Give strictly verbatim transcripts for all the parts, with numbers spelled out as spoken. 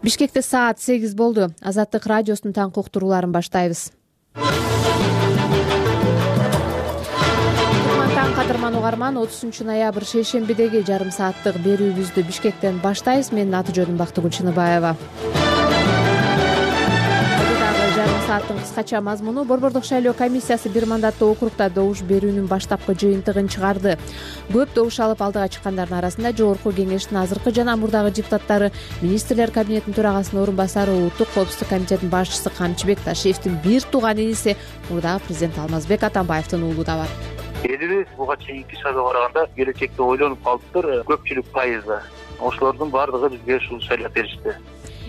Бишкекте саат сегиз болду. Азаттык радиосунун таңкы уктурууларын баштайбыз. Таң кадырман угарман, отузунчу ноябрь шейшембидеги жарым сааттык берүүбүздү Бишкектен баштайбыз. Менин аты жөнүм Бактыгүл Чыныбаева. Жарым сааттын кыскача мазмуну: Борбордук шайлоо комиссиясы бир мандаттуу округда добуш берүүнүн баштапкы жыйынтыгын чыгарды. Көп добуш алып алдыга чыккандардын арасында Жогорку Кеңештин азыркы жана мурдагы депутаттары, министрлер кабинетинин төрагасынын орун басары, Улуттук коопсуздук комитетинин башчысы Камчыбек Ташиевдин бир тууган иниси, мурдагы президент Алмазбек Атамбаевдин уулу да бар. Элибиз буга чейинки шайлоого караганда келечекте ойлонуп калыптыр. Көпчүлүк пайызы ошолордун баардыгы бизге ушул шайлап беришти.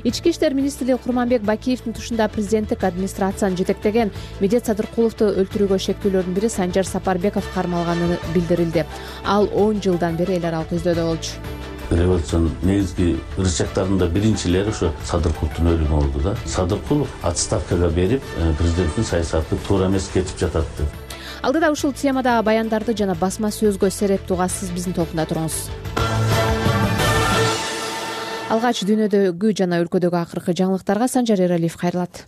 Ички иштер министри Курманбек Бакиевдин тушунда президенттик администрацияны жетектеген Медет Садыркуловду өлтүрүүгө шектүүлөрдүн бири Санжар Сапарбеков кармалганы билдирилди. Ал он жылдан бери эл аралык издөөдө болчу. Революциянын негизги ырычактарында биринчилери ошо Садыркуловдун өлүмү болду да. Садыркулов отставкага берип, президенттин саясаты туура эмес кетип жатат деп. Алдыда ушул темадагы баяндарды жана басма сөзгө сереп тугасыз биздин толкунда туруңуз. Алгач дүйнөдөгү жана өлкөдөгү акыркы жаңылыктарга Санжар Эралиев кайрылат.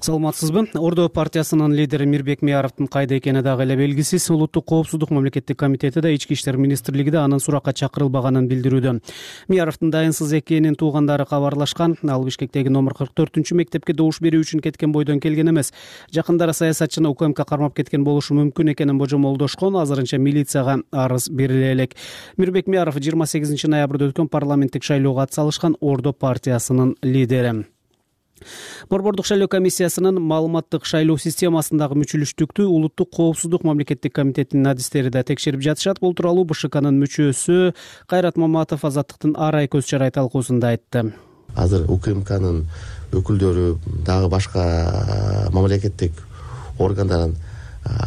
Саламатсызбы? Ордо партиясынын лидери Мирбек Мияровдун кайда экени дагы эле белгисиз. Улуттук коопсуздук мамлекеттик комитети да, Ички иштер министрлиги да анын суракка чакырылбаганын билдирүүдө. Мияровдун дайынсыз экенин туугандары кабарлашкан. Ал Бишкектеги номер кырк төртүнчү мектепке добуш берүү үчүн кеткен бойдон келген эмес. Жакындары саясатчыны УКМК кармап кеткен болушу мүмкүн экенин божомолдошкон. Азырынча милицияга арыз бериле элек. Мирбек Мияров жыйырма сегизинчи ноябрда өткөн парламенттик шайлоого атсалышкан Ордо партиясынын лидери. Борбордук шайлоо комиссиясынын маалыматтык шайлоо системасындагы мүчүлүштүктү Улуттук коопсуздук мамлекеттик комитетинин адистери да текшерип жатышат. Бул тууралуу БШКнын мүчөсү Кайрат Маматов Азаттыктын ар ай көз чарай талкуусунда айтты. Азыр УКМКнын өкүлдөрү, дагы башка мамлекеттик органдардын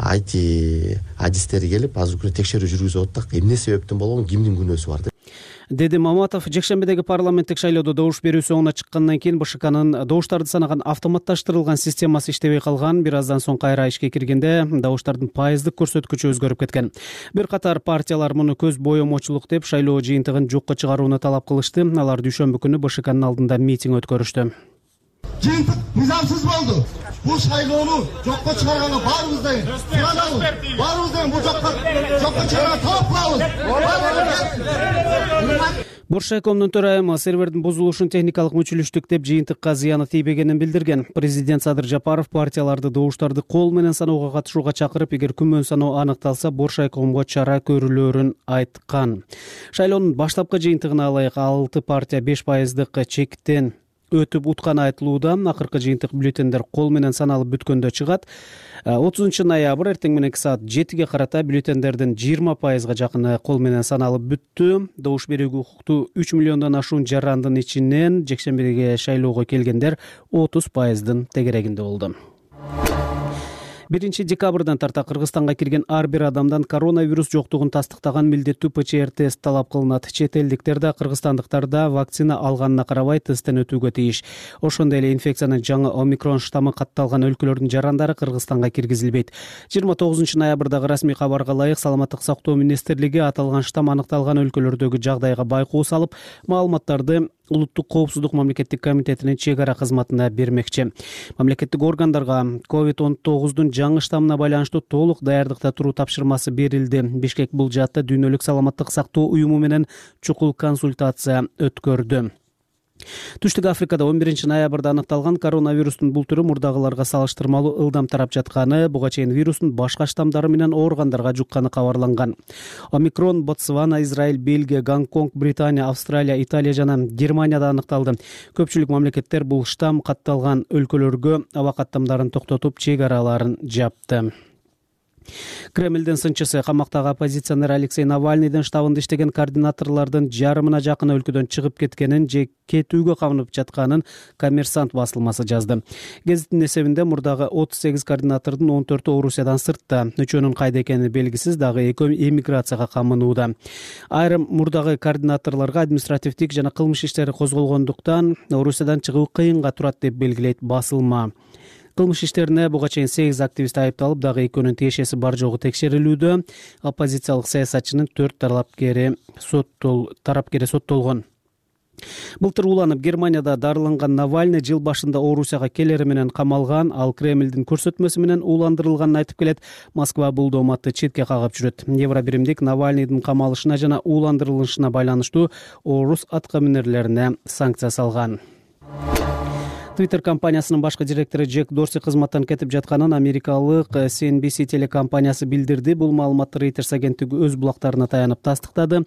ай ти адистери келип, азыр күнү текшерүү жүргүзүп атат. Эмне себептен болгон, кимдин күнөөсү бар деп деди Маматов. Жекшембидеги парламенттик шайлоодо добуш берүү соңуна чыккандан кийин БШКнын добуштарды санаган автоматташтырылган системасы иштебей калган. Бир аздан соң кайра ишке киргенде добуштардын пайыздык көрсөткүчү өзгөрүп кеткен. Бир катар партиялар муну көз боемочулук деп шайлоо жыйынтыгын жокко чыгарууну талап кылышты. Алар дүйшөмбү күнү БШКнын алдында митинг өткөрүштү. Жыйынтык мыйзамсыз болду. Бул шайлоону жокко чыгарганга баарыбыз да суранабыз. Баарыбыз да бул жокко жокко чыгарганга талап кылабыз. Боршайкомдун төрайымы сервердин бузулушун техникалык мүчүлүштүк деп жыйынтыкка зыяны тийбегенин билдирген. Президент Садыр Жапаров партияларды добуштарды кол менен саноого катышууга чакырып, эгер күмөн саноо аныкталса, Боршайкомго чара көрүлөрүн айткан. Шайлоонун баштапкы жыйынтыгына ылайык алты партия беш пайыздык чектен өтүп утканы айтылууда. Акыркы жыйынтык бюллетендер кол менен саналып бүткөндө чыгат. отузунчу ноябрь эртең мененки саат жетиге карата бюллетендердин жыйырма пайызга жакыны кол менен саналып бүттү. Добуш берүүгө укуктуу үч миллиондон ашуун жарандын ичинен жекшембидеги шайлоого келгендер отуз пайыздын тегерегинде болду. биринчи декабрдан тарта Кыргызстанга кирген ар бир адамдан коронавирус жоктугун тастыктаган милдеттүү ПЧР тест талап кылынат. Чет элдиктер да, кыргызстандыктар да вакцина алганына карабай тесттен өтүүгө тийиш. Ошондой эле инфекциянын жаңы омикрон штаммы катталган өлкөлөрдүн жарандары Кыргызстанга киргизилбейт. жыйырма тогузунчу ноябрдагы расмий кабарга ылайык Саламаттык сактоо министрлиги аталган штамм аныкталган өлкөлөрдөгү жагдайга байкоо салып, маалыматтарды Улуттук коопсуздук мамлекеттик комитетинин чек ара кызматына бермекчи. Мамлекеттик органдарга ковид он тогуздун жаңы штаммына байланыштуу толук даярдыкта туруу тапшырмасы берилди. Бишкек бул жаатта дүйнөлүк саламаттык сактоо уюму менен чукул консультация өткөрдү. Түштүк Африкада он биринчи ноябрда аныкталган коронавирустун бул түрү мурдагыларга салыштырмалуу ылдам тарап жатканы, буга чейин вирустун башка штамдары менен ооругандарга жукканы кабарланган. Омикрон Ботсвана, Израиль, Бельгия, Гонконг, Британия, Австралия, Италия жана Германияда аныкталды. Көпчүлүк мамлекеттер бул штамм катталган өлкөлөргө аба каттамдарын токтотуп, чек араларын жапты. Кремлдин сынчысы камактагы оппозиционер Алексей Навальныйдын штабында иштеген координаторлордун жарымына жакын өлкөдөн чыгып кеткенин же кетүүгө камынып жатканын Коммерсант басылмасы жазды. Гезиттин эсебинде мурдагы отуз сегиз координатордун он төртү Орусиядан сыртта, үчөөнүн кайда экени белгисиз, дагы экөө эмиграцияга камынууда. Айрым мурдагы координаторлорго административдик жана кылмыш иштери козголгондуктан Орусиядан чыгуу кыйынга турат деп белгилейт басылма. Кылмыш иштерине буга чейин сегиз активист айыпталып, дагы экөөнүн тиешеси бар жогу текшерилүүдө. Оппозициялык саясатчынын төрт тарапкери соттол тарапкери соттолгон. Былтыр уланып Германияда дарыланган Навальный жыл башында Орусияга келери менен камалган, ал Кремлдин көрсөтмөсү менен ууландырылганын айтып келет. Москва бул дооматты четке кагып жүрөт. Евробиримдик Навальныйдын камалышына жана ууландырылышына байланыштуу орус аткаминерлерине санкция салган. Twitter компаниясынын башкы директору Джек Дорси кызматтан кетип жатканын америкалык си эн би си телекомпаниясы билдирди. Бул маалыматты Reuters агенттиги өз булактарына таянып тастыктады.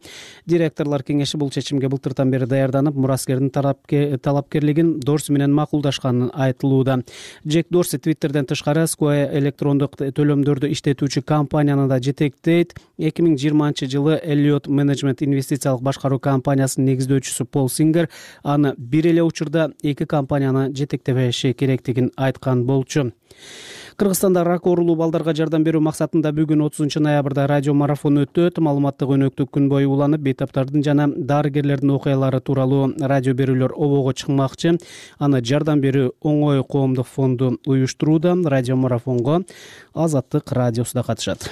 Директорлор кеңеши бул чечимге былтыртан бери даярданып, мураскердин талапкерлигин Дорси менен макулдашканын айтылууда. Джек Дорси Twitterден тышкары Square электрондук төлөмдөрдү иштетүүчү компанияны да жетектейт. эки миң жыйырманчы жылы Elliott Management инвестициялык башкаруу компаниясынын негиздөөчүсү Пол Сингер аны бир эле учурда эки компанияны жетектебеши керектигин айткан болчу. Кыргызстанда рак оорулуу балдарга жардам берүү максатында бүгүн отузунчу ноябрда радио марафон өтөт. Маалыматтык өнөктүк күн бою уланып, бейтаптардын жана дарыгерлердин окуялары тууралуу радио берүүлөр обого чыкмакчы. Аны жардам берүү оңой коомдук фонду уюштурууда. Радио марафонго Азаттык радиосу да катышат.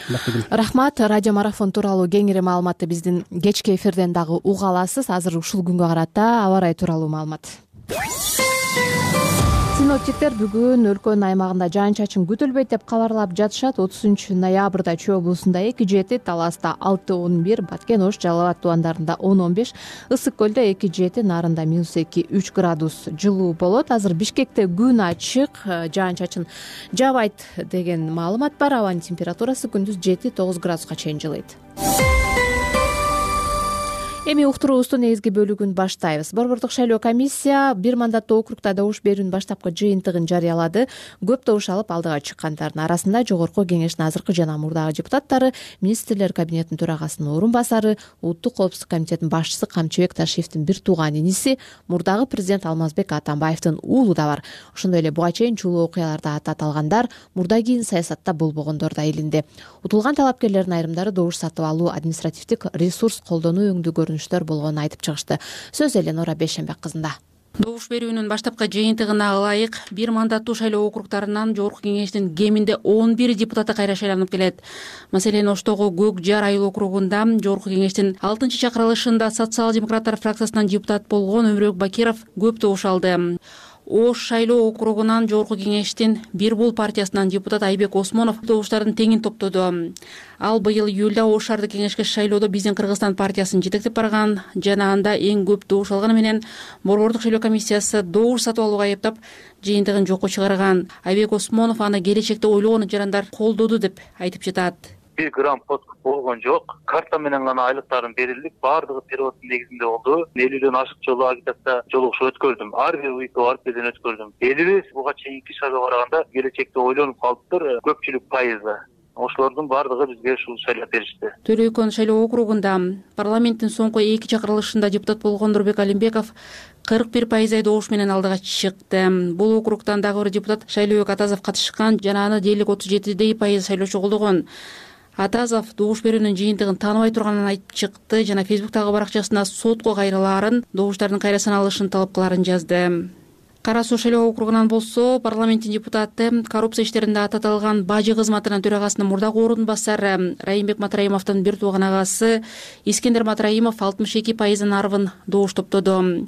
Рахмат. Радио марафон тууралуу кеңири маалыматты биздин кечки эфирден дагы уга аласыз. Азыр ушул күнгө карата аба ырайы тууралуу маалымат. Синоптиктер бүгүн өлкөнүн аймагында жаан-чачын күтүлбөйт деп кабарлап жатышат. отузунчу ноябрда Чүй облусунда эки жети, Таласта алты он бир, Баткен, Ош, Жалал абад тубандарында он он беш, Ысык көлдө эки жети, Нарында минус эки үч градус жылуу болот. Азыр Бишкекте күн ачык, жаан-чачын жаабайт деген маалымат бар. Абанын температурасы күндүз жети тогуз градуска чейин жылыйт. Эми уктуруубуздун негизги бөлүгүн баштайбыз. Борбордук шайлоо комиссия бир мандаттуу округда добуш берүүнүн баштапкы жыйынтыгын жарыялады. Көп добуш алып алдыга чыккандардын арасында Жогорку Кеңештин азыркы жана мурдагы депутаттары, министрлер кабинетинин төрагасынын орун басары, Улуттук коопсуздук комитетинин башчысы Камчыбек Ташиевдин бир тууган иниси, мурдагы президент Алмазбек Атамбаевдин уулу да бар. Ошондой эле буга чейин чулуу окуяларда аты аталгандар, мурда кийин саясатта болбогондор да илинди. Утулган талапкерлердин айрымдары добуш сатып алуу, административдик ресурс колдонуу өңдүү көрүнүштөр болгонун айтып чыгышты. Сөз Эленора Бейшенбек кызында. Добуш берүүнүн баштапкы жыйынтыгына ылайык бир мандаттуу шайлоо округдарынан Жогорку Кеңештин кеминде он бир депутаты кайра шайланып келет. Маселен, Оштогу Көк Жар айыл округунда Жогорку Кеңештин алтынчы чакырылышында социал-демократтар фракциясынан депутат болгон Өмүрөк Бакиров көп добуш алды. Ош шайлоо округунан Жогорку Кеңештин Бир бул партиясынан депутат Айбек Осмонов добуштардын теңин топтоду. Ал быйыл июлда Ош шаардык кеңешке шайлоодо Биздин Кыргызстан партиясын жетектеп барган жана анда эң көп добуш алганы менен Борбордук шайлоо комиссиясы добуш сатып алууга айыптап жыйынтыгын жокко чыгарган. Айбек Осмонов аны келечекте ойлогон жарандар колдоду деп айтып жатат. бир грамм подкуп болгон жок. Карта менен гана айлыктарын берилди. Баардыгы переводдун негизинде болду. элүүдөн ашык жолу агитация жолугушуу өткөрдүм. Ар бир уйку ар бирден өткөрдүм. Элибиз буга чейинки шайлоого караганда келечекте ойлонуп калыптыр. Көпчүлүк пайызы. Ошолордун баардыгы бизге ушул шайлоо беришти. Төлөйкөн шайлоо округунда парламенттин соңку эки чакырылышында депутат болгон Нурбек Алимбеков кырк бир пайыздай добуш менен алдыга чыкты. Бул округдан дагы бир депутат Шайлообек Атазов катышкан жана аны дээрлик отуз жети пайыз шайлоочу колдогон. Атазов добуш берүүнүн жыйынтыгын тааныбай турганын айтып чыкты жана Фейсбуктагы баракчасына сотко кайрылаарын, добуштардын кайра саналышын талап кылаарын жазды. Кара Суу шайлоо округунан болсо, парламенттин депутаты, коррупция иштеринде аты аталган Бажы кызматынын төрагасынын мурдагы орун басары Райымбек Матраимовдун бир тууган агасы Искендер Матраимов алтымыш эки пайыздын арбын добуш топтоду.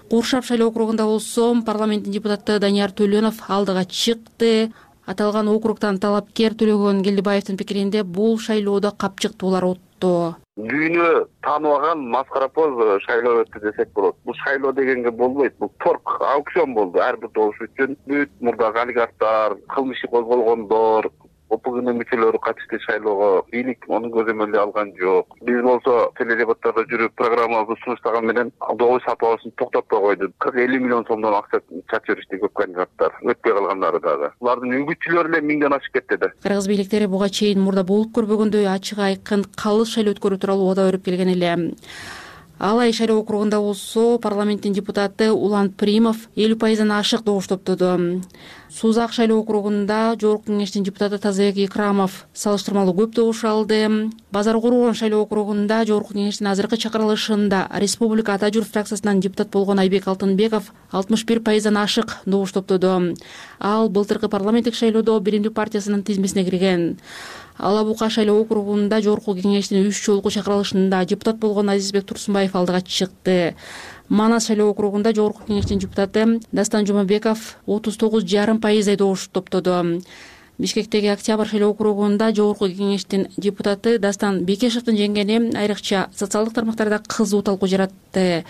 Куршап шайлоо округунда болсо, парламенттин депутаты Данияр Төлөнов алдыга чыкты. Аталган округдан талапкер Төлөгөн Келдибаевдин пикиринде бул шайлоодо капчыктуулар отто. Дүйнө тааныбаган маскарапоз шайлоо өттү десек болот. Бул шайлоо дегенге болбойт. Бул торг, аукцион болду. Ар бир добуш үчүн бүт мурдагы олигархтар, кылмыш иши козголгондор, ОПГнын мүчөлөрү катышты шайлоого. Бийлик онун көзөмөлү алган жок. Биз болсо теледебаттарда жүрүп программабызды сунуштаган менен добуш сатып алышын токтотпой койду. кырк элүү миллион сомдон акча чачып беришти көп кандидаттар. Өтпөй калгандары дагы. Булардын үгүтчүлөрү эле миңден ашып кетти да. Кыргыз бийликтери буга чейин мурда болуп көрбөгөндөй ачык айкын калыс шайлоо өткөрүү тууралуу убада берип келген эле. Алай шайлоо округунда болсо, парламенттин депутаты Улан Примов элүү пайыздан ашык добуш топтоду. Сузак шайлоо округунда Жогорку Кеңештин депутаты Тазабек Икрамов салыштырмалуу көп добуш алды. Базар Кургон шайлоо округунда Жогорку Кеңештин азыркы чакырылышында Республика Ата Журт фракциясынан депутат болгон Айбек Алтынбеков алтымыш бир пайыздан ашык добуш топтоду. Ал былтыркы парламенттик шайлоодо Биримдик партиясынын тизмесине кирген. Ала Бука шайлоо округунда жогорку кеңештин үч жолку чакырылышында депутат болгон Азизбек Турсунбаев алдыга чыкты. Манас шайлоо округунда жогорку кеңештин депутаты Дастан Жумабеков отуз тогуз жарым пайыздай добуш топтоду. Бишкектеги Октябрь шайлоо округунда жогорку кеңештин депутаты Дастан Бекешевдин жеңгени айрыкча социалдык тармактарда кызуу талкуу жаратты.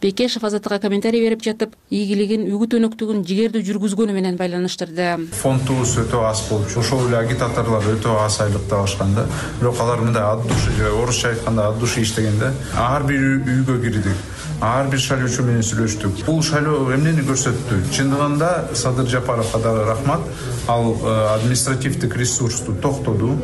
Бекешев Азаттыкка комментарий берип жатып, ийгилигин, үгүт өнөктүгүн жигердүү жүргүзгөнү менен байланыштырды. Фондубуз өтө аз болчу. Ошол эле агитаторлор өтө аз айлыкты алышкан да. Бирок алар мындай ат души, орусча айтканда ат души иштегенде, ар бир үйгө кирдик. Ар бир шайлоочу менен сүйлөштүк. Бул шайлоо эмнени көрсөттү? Чындыгында Садыр Жапаровго дагы рахмат. Ал административдик ресурсту токтоду.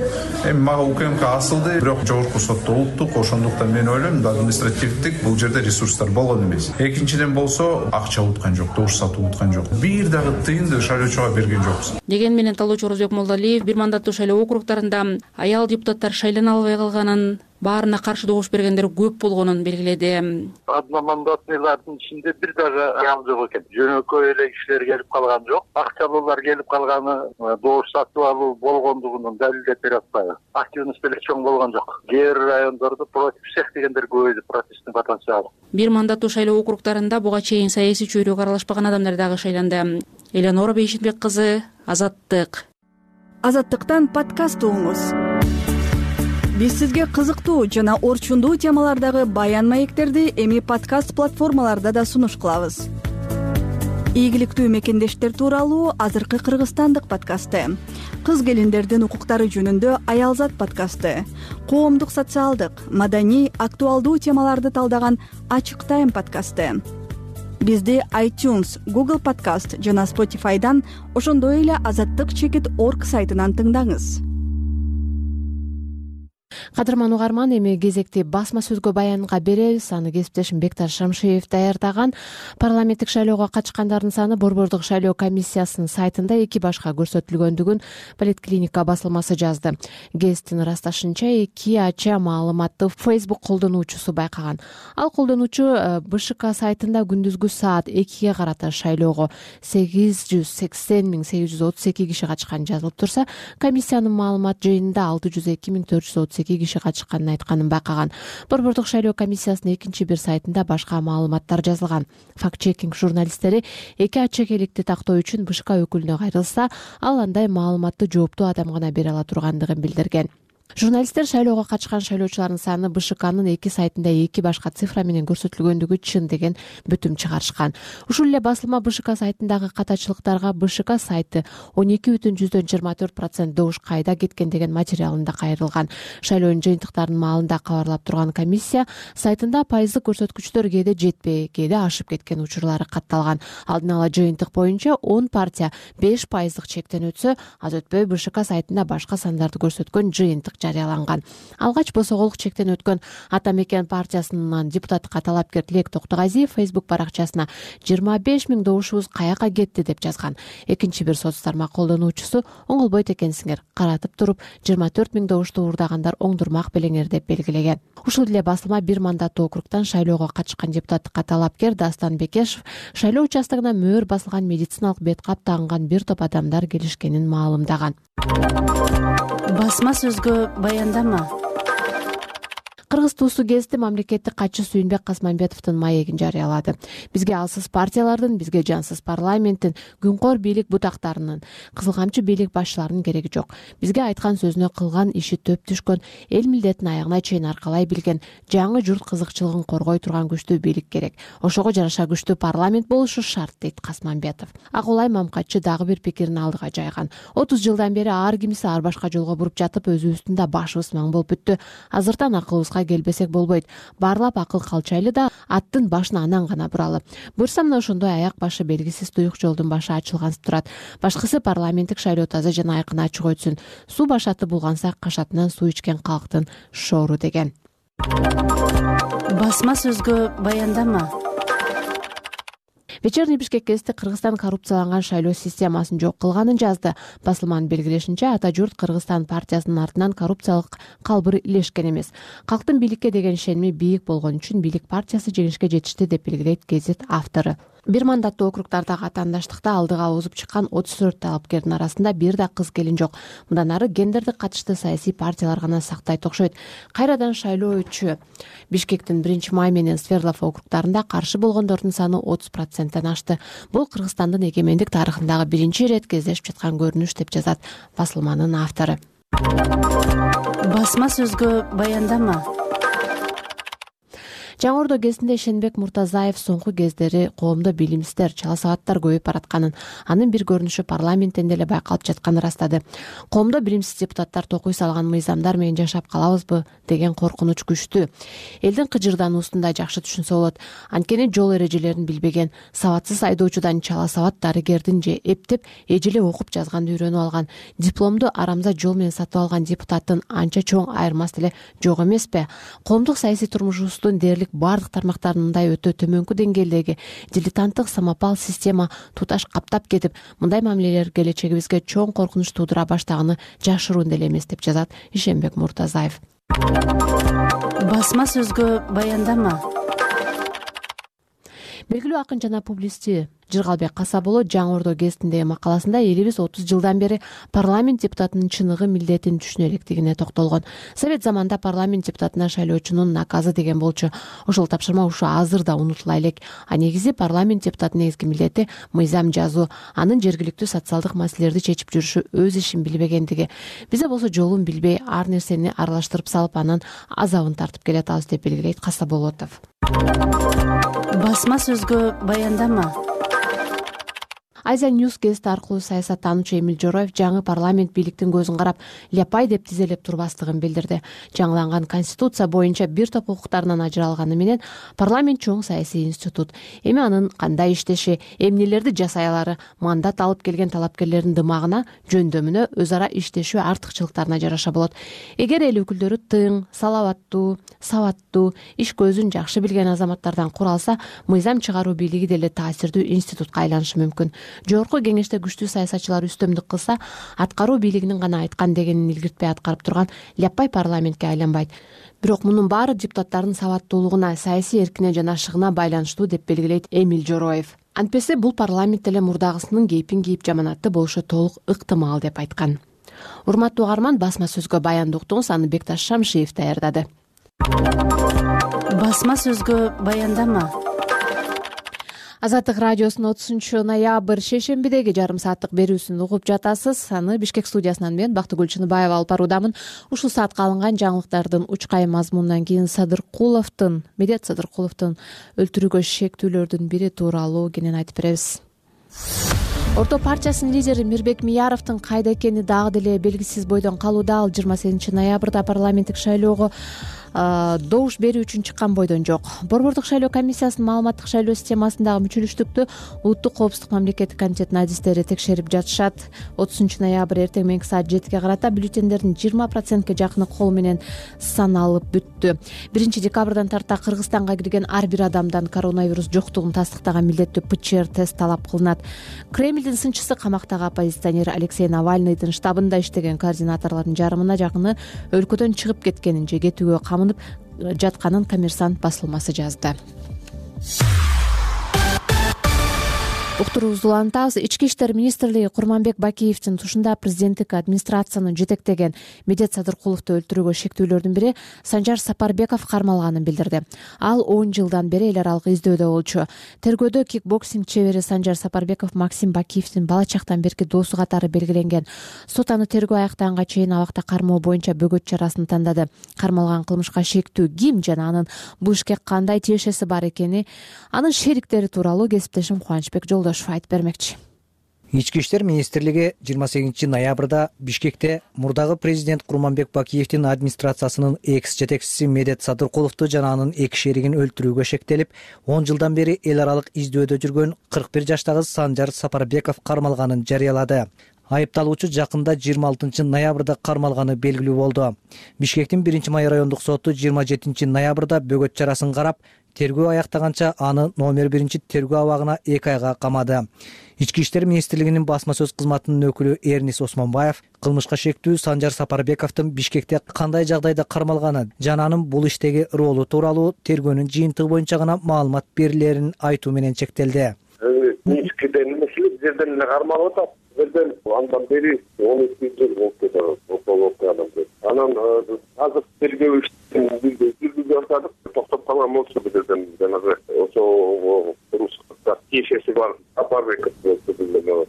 Эми мага УКМК асылды, бирок жогорку сотто улуттук, ошондуктан мен ойлойм, административдик бул жерде ресурстар болгон эмес. Экинчиден болсо, акча уткан жок, добуш сатып уткан жок. Бир дагы тыйынды шайлоочуга берген жокпуз. Деген менен талоочу Орозбек Молдалиев бир мандаттуу шайлоо округдарында аял депутаттар шайлана албай калганын, баарына каршы добуш бергендер көп болгонун белгиледи. Одномандатныйлардын ичинде бир дагы аял жок экен. Жөнөкөй эле кишилер келип калган жок. Акчалуулар келип калганы добуш сатып алуу болгондугун далилдеп бере атпайбы. Активность деле чоң болгон жок. Кээ бир райондордо против всех дегендер көп эле протесттин потенциалы. Бир мандаттуу шайлоо округдарында буга чейин саясий чөйрөгө аралашпаган адамдар дагы шайланды. Эленора Бейшенбек кызы, Азаттык. Азаттыктан подкаст угуңуз. Биз сизге кызыктуу жана орчундуу темалардагы баян маектерди эми подкаст платформаларда да сунуш кылабыз. Ийгиликтүү мекендештер тууралуу азыркы кыргызстандык подкасты, кыз келиндердин укуктары жөнүндө Аялзат подкасты, коомдук социалдык, маданий, актуалдуу темаларды талдаган Ачык Тайм подкасты. Бизди iTunes, Google Podcast жана Spotify'дан, ошондой эле азаттык чекит точка орг сайтынан тыңдаңыз. Кадырман угарман, эми кезекти басма сөзгө баянга беребиз. Аны кесиптешим Бекташ Шамшиев даярдаган. Парламенттик шайлоого катышкандардын саны Борбордук шайлоо комиссиясынын сайтында эки башка көрсөтүлгөндүгүн Политклиника басылмасы жазды. Гесттин ырасташынча, эки ача маалыматты Facebook колдонуучусу байкаган. Ал колдонуучу БШК сайтында күндүзгү саат экиге карата шайлоого сегиз жүз сексен миң сегиз жүз отуз эки киши катышкан жазылып турса, комиссиянын маалымат жыйынында алты жүз эки миң төрт жүз отуз эки киши катышканын айтканын байкаган. Борбордук шайлоо комиссиясынын экинчи бир сайтында башка маалыматтар жазылган. Факт-чекинг журналисттери эки ачекеликти тактоо үчүн БШК өкүлүнө кайрылса, ал андай маалыматты жооптуу адам гана бере ала тургандыгын билдирген. Журналисттер шайлоого катышкан шайлоочулардын саны БШКнын эки сайтында эки башка цифра менен көрсөтүлгөндүгү чын деген бүтүм чыгарышкан. Ушул эле басылма БШК сайтындагы катачылыктарга БШК сайты он эки бүтүн жүздөн жыйырма төрт процент добуш кайда кеткен деген материалында кайрылган. Шайлоонун жыйынтыктарынын маалында кабарлап турган комиссия сайтында пайыздык көрсөткүчтөр кээде жетпей, кээде ашып кеткен учурлары катталган. Алдын ала жыйынтык боюнча он партия беш пайыздык чектен өтсө, аз өтпөй БШК сайтында башка сандарды көрсөткөн жыйынтык жарыяланган. Алгач босоголук чектен өткөн Ата Мекен партиясынын депутатка талапкер Тилек Токтогазиев Facebook баракчасына жыйырма беш миң добушубуз каяка кетти деп жазган. Экинчи бир соц тармак колдонуучусу оңолбойт экенсиңер, каратып туруп жыйырма төрт миң добушту уурдагандар оңдурмак белеңер деп белгилеген. Ушул эле басылма бир мандаттуу округдан шайлоого катышкан депутатка талапкер Дастан Бекешев шайлоо участогуна мөөр басылган медициналык бет кап тагынган бир топ адамдар келишкенин маалымдаган. Басма сөзгө баяндама. Кыргыз туусу гезити мамлекеттик катчы Сүйүнбек Касманбетовдун маегин жарыялады. Бизге алсыз партиялардын, бизге жансыз парламенттин, күнкөр бийлик бутактарынын, кызыл камчы бийлик башчыларынын кереги жок. Бизге айткан сөзүнө кылган иши төп түшкөн, эл милдетин аягына чейин аркалай билген, жаңы журт кызыкчылыгын коргой турган күчтүү бийлик керек. Ошого жараша күчтүү парламент болушу шарт, дейт Касманбетов. Акулай Мамкатчы дагы бир пикирин алдыга жайган. отуз жылдан бери ар кимиси ар башка жолго буруп жатып, өзүбүздүн да башыбыз маң болуп бүттү. Азыртан акылыбызга келбесек болбойт. Барлап акыл калчайлы да аттын башын анан гана буралы. Буюрса мына ошондой аяк башы белгисиз туюк жолдун башы ачылган турат. Башкысы парламенттик шайлоо таза жана айкын ачык өтсүн. Суу башаты булганса кашатынан суу ичкен калктын шоору деген. Басма сөзгө баяндама. Вечерний Бишкек гезити Кыргызстан коррупцияланган шайлоо системасын жок кылганын жазды. Басылманын белгилешинче, Ата журт Кыргызстан партиясынын артынан коррупциялык калбыр илешкен эмес. Калктын бийликке деген ишеними бийик болгон үчүн бийлик партиясы жеңишке жетишти деп белгилейт гезит автору. бир мандаттуу округдардагы атаандаштыкта алдыга озуп чыккан отуз төрт талапкердин арасында бир да кыз келин жок. Мындан ары гендердик катышты саясий партиялар гана сактайт окшойт. Кайрадан шайлоо өтчү. Бишкектин биринчи май менен Свердлов округдарында каршы болгондордун саны отуз проценттен ашты. Бул Кыргызстандын эгемендик тарыхындагы биринчи ирет кездешип жаткан көрүнүш деп жазат басылманын автору. Басма сөзгө баяндама. Жаңы Ордо гезитинде Шенбек Муртазаев соңку кездери коомдо билимсиздер, чала сабаттар көбөйүп баратканын, анын бир көрүнүшү парламенттен деле байкалып жатканын ырастады. Коомдо билимсиз депутаттар токуй салган мыйзамдар менен жашап калабызбы деген коркунуч күчтүү. Элдин кыжырдануусун да жакшы түшүнсө болот. Анткени жол эрежелерин билбеген, сабатсыз айдоочудан чала сабат дарыгердин же эптеп эжеле окуп жазганды үйрөнүп алган, дипломду арамза жол менен сатып алган депутаттын анча чоң айырмасы деле жок эмеспи? Коомдук саясий турмушубуздун дээрлик бардык тармактарын мындай өтө төмөнкү деңгээлдеги дилетанттык самопал система туташ каптап кетип, мындай мамилелер келечегибизге чоң коркунуч туудура баштаганы жашыруун деле эмес деп жазат Шенбек Муртазаев. Басма сөзгө баяндама. Белгилүү акын жана публисти Жыргалбек Касабулов Жаңы Ордо гезитиндеги макаласында элибиз отуз жылдан бери парламент депутатынын чыныгы милдетин түшүнө электигине токтолгон. Совет заманында парламент депутатына шайлоочунун наказы деген болчу. Ошол тапшырма ушу азыр да унутула элек. А негизи парламент депутатынын негизги милдети мыйзам жазуу, анын жергиликтүү социалдык маселелерди чечип жүрүшү өз ишин билбегендиги. Бизде болсо жолун билбей, ар нерсени аралаштырып салып, анын азабын тартып келатабыз деп белгилейт Касабулов. Басма сөзгө баяндама. Азия Ньюс гезити аркылуу саясаттануучу Эмил Жороев жаңы парламент бийликтин көзүн карап ляпай деп тизелеп турбастыгын билдирди. Жаңыланган конституция боюнча бир топ укуктарынан ажыралганы менен парламент чоң саясий институт. Эми анын кандай иштеши, эмнелерди жасай алары мандат алып келген талапкерлердин дымагына, жөндөмүнө, өз ара иштешүү артыкчылыктарына жараша болот. Эгер эл өкүлдөрү тың, салаваттуу, сабаттуу, иш көзүн жакшы билген азаматтардан куралса, мыйзам чыгаруу бийлиги деле таасирдүү институтка айланышы мүмкүн. Жогорку кеңеште күчтүү саясатчылар үстөмдүк кылса, аткаруу бийлигинин гана айткан дегенин илгиртпей аткарып турган ляпай парламентке айланбайт. Бирок мунун баары депутаттардын сабаттуулугуна, саясий эркине жана ашыгына байланыштуу деп белгилейт Эмил Жороев. Антпесе бул парламент деле мурдагысынын кейпин кийип жаманатты болушу толук ыктымал деп айткан. Урматтуу угарман, басма сөзгө баянды уктуңуз, аны Бекташ Шамшиев даярдады. Басма сөзгө баяндама. Азаттык радиосунун отузунчу ноябрь шейшембидеги жарым сааттык берүүсүн угуп жатасыз. Аны Бишкек студиясынан мен Бактыгүл Чыныбаева алып баруудамын. Ушул саатка алынган жаңылыктардын учкай мазмунунан кийин Садыркуловдун, Медет Садыркуловдун өлтүрүүгө шектүүлөрдүн бири тууралуу кенен айтып беребиз. Орто партиясынын лидери Мирбек Мияровдун кайда экени дагы деле белгисиз бойдон калууда. Ал жыйырма сегизинчи ноябрда парламенттик шайлоого добуш берүү үчүн чыккан бойдон жок. Борбордук шайлоо комиссиясынын маалыматтык шайлоо системасындагы мүчөлүштүктү Улуттук коопсуздук мамлекеттик комитетинин адистери текшерип жатышат. отузунчу ноябрь эртең менки саат жетиге карата бюллетендердин жыйырма процентке жакыны кол менен саналып бүттү. биринчи декабрдан тарта Кыргызстанга кирген ар бир адамдан коронавирус жоктугун тастыктаган милдеттүү ПЧР тест талап кылынат. Кремлдин сынчысы камактагы оппозиционер Алексей Навальныйдын штабында иштеген координаторлордун жарымына жакыны өлкөдөн чыгып кеткенин же кетүүгө камынып жатканын Коммерсант басылмасы жазды. Уктуруубузду улантабыз. Ички иштер министрлиги Курманбек Бакиевдин тушунда президенттик администрацияны жетектеген Медет Садыркуловду өлтүрүүгө шектүүлөрдүн бири Санжар Сапарбеков кармалганын билдирди. Ал он жылдан бери эл аралык издөөдө болчу. Тергөөдө кикбоксинг чебери Санжар Сапарбеков Максим Бакиевдин бала чактан берки досу катары белгиленген. Сот аны тергөө аяктаганга чейин абакта кармоо боюнча бөгөт чарасын тандады. Кармалган кылмышка шектүү ким жана анын бул ишке кандай тиешеси бар экени, анын шериктери тууралуу кесиптешим Кубанычбек Жолдошев айтып бермекчи. Ички иштер министрлиги жыйырма сегизинчи ноябрда Бишкекте мурдагы президент Курманбек Бакиевдин администрациясынын экс жетекчиси Медет Садыркуловду жана анын эки шеригин өлтүрүүгө шектелип, он жылдан бери эл аралык издөөдө жүргөн кырк бир жаштагы Санжар Сапарбеков кармалганын жарыялады. Айыпталуучу жакында жыйырма алтынчы ноябрда кармалганы белгилүү болду. Бишкектин биринчи май райондук соту жыйырма жетинчи ноябрда бөгөт чарасын карап, тергөө аяктаганча аны номер биринчи тергөө абагына эки айга камады. Ички иштер министрлигинин басма сөз кызматынын өкүлү Эрнис Осмонбаев кылмышка шектүү Санжар Сапарбековдун Бишкекте кандай жагдайда кармалганы жана анын бул иштеги ролу тууралуу тергөөнүн жыйынтыгы боюнча гана маалымат берилерин айтуу менен чектелди. Минскиден эмес эле жерден эле кармалып атат. Жерден андан бери он эки жыл болуп кетет. Анан азыр тергөө иштин жүргүзүп жатат. Токтоп калган болчу бул жерден жанагы ошо Русская тиешеси бар Апарбеков болду.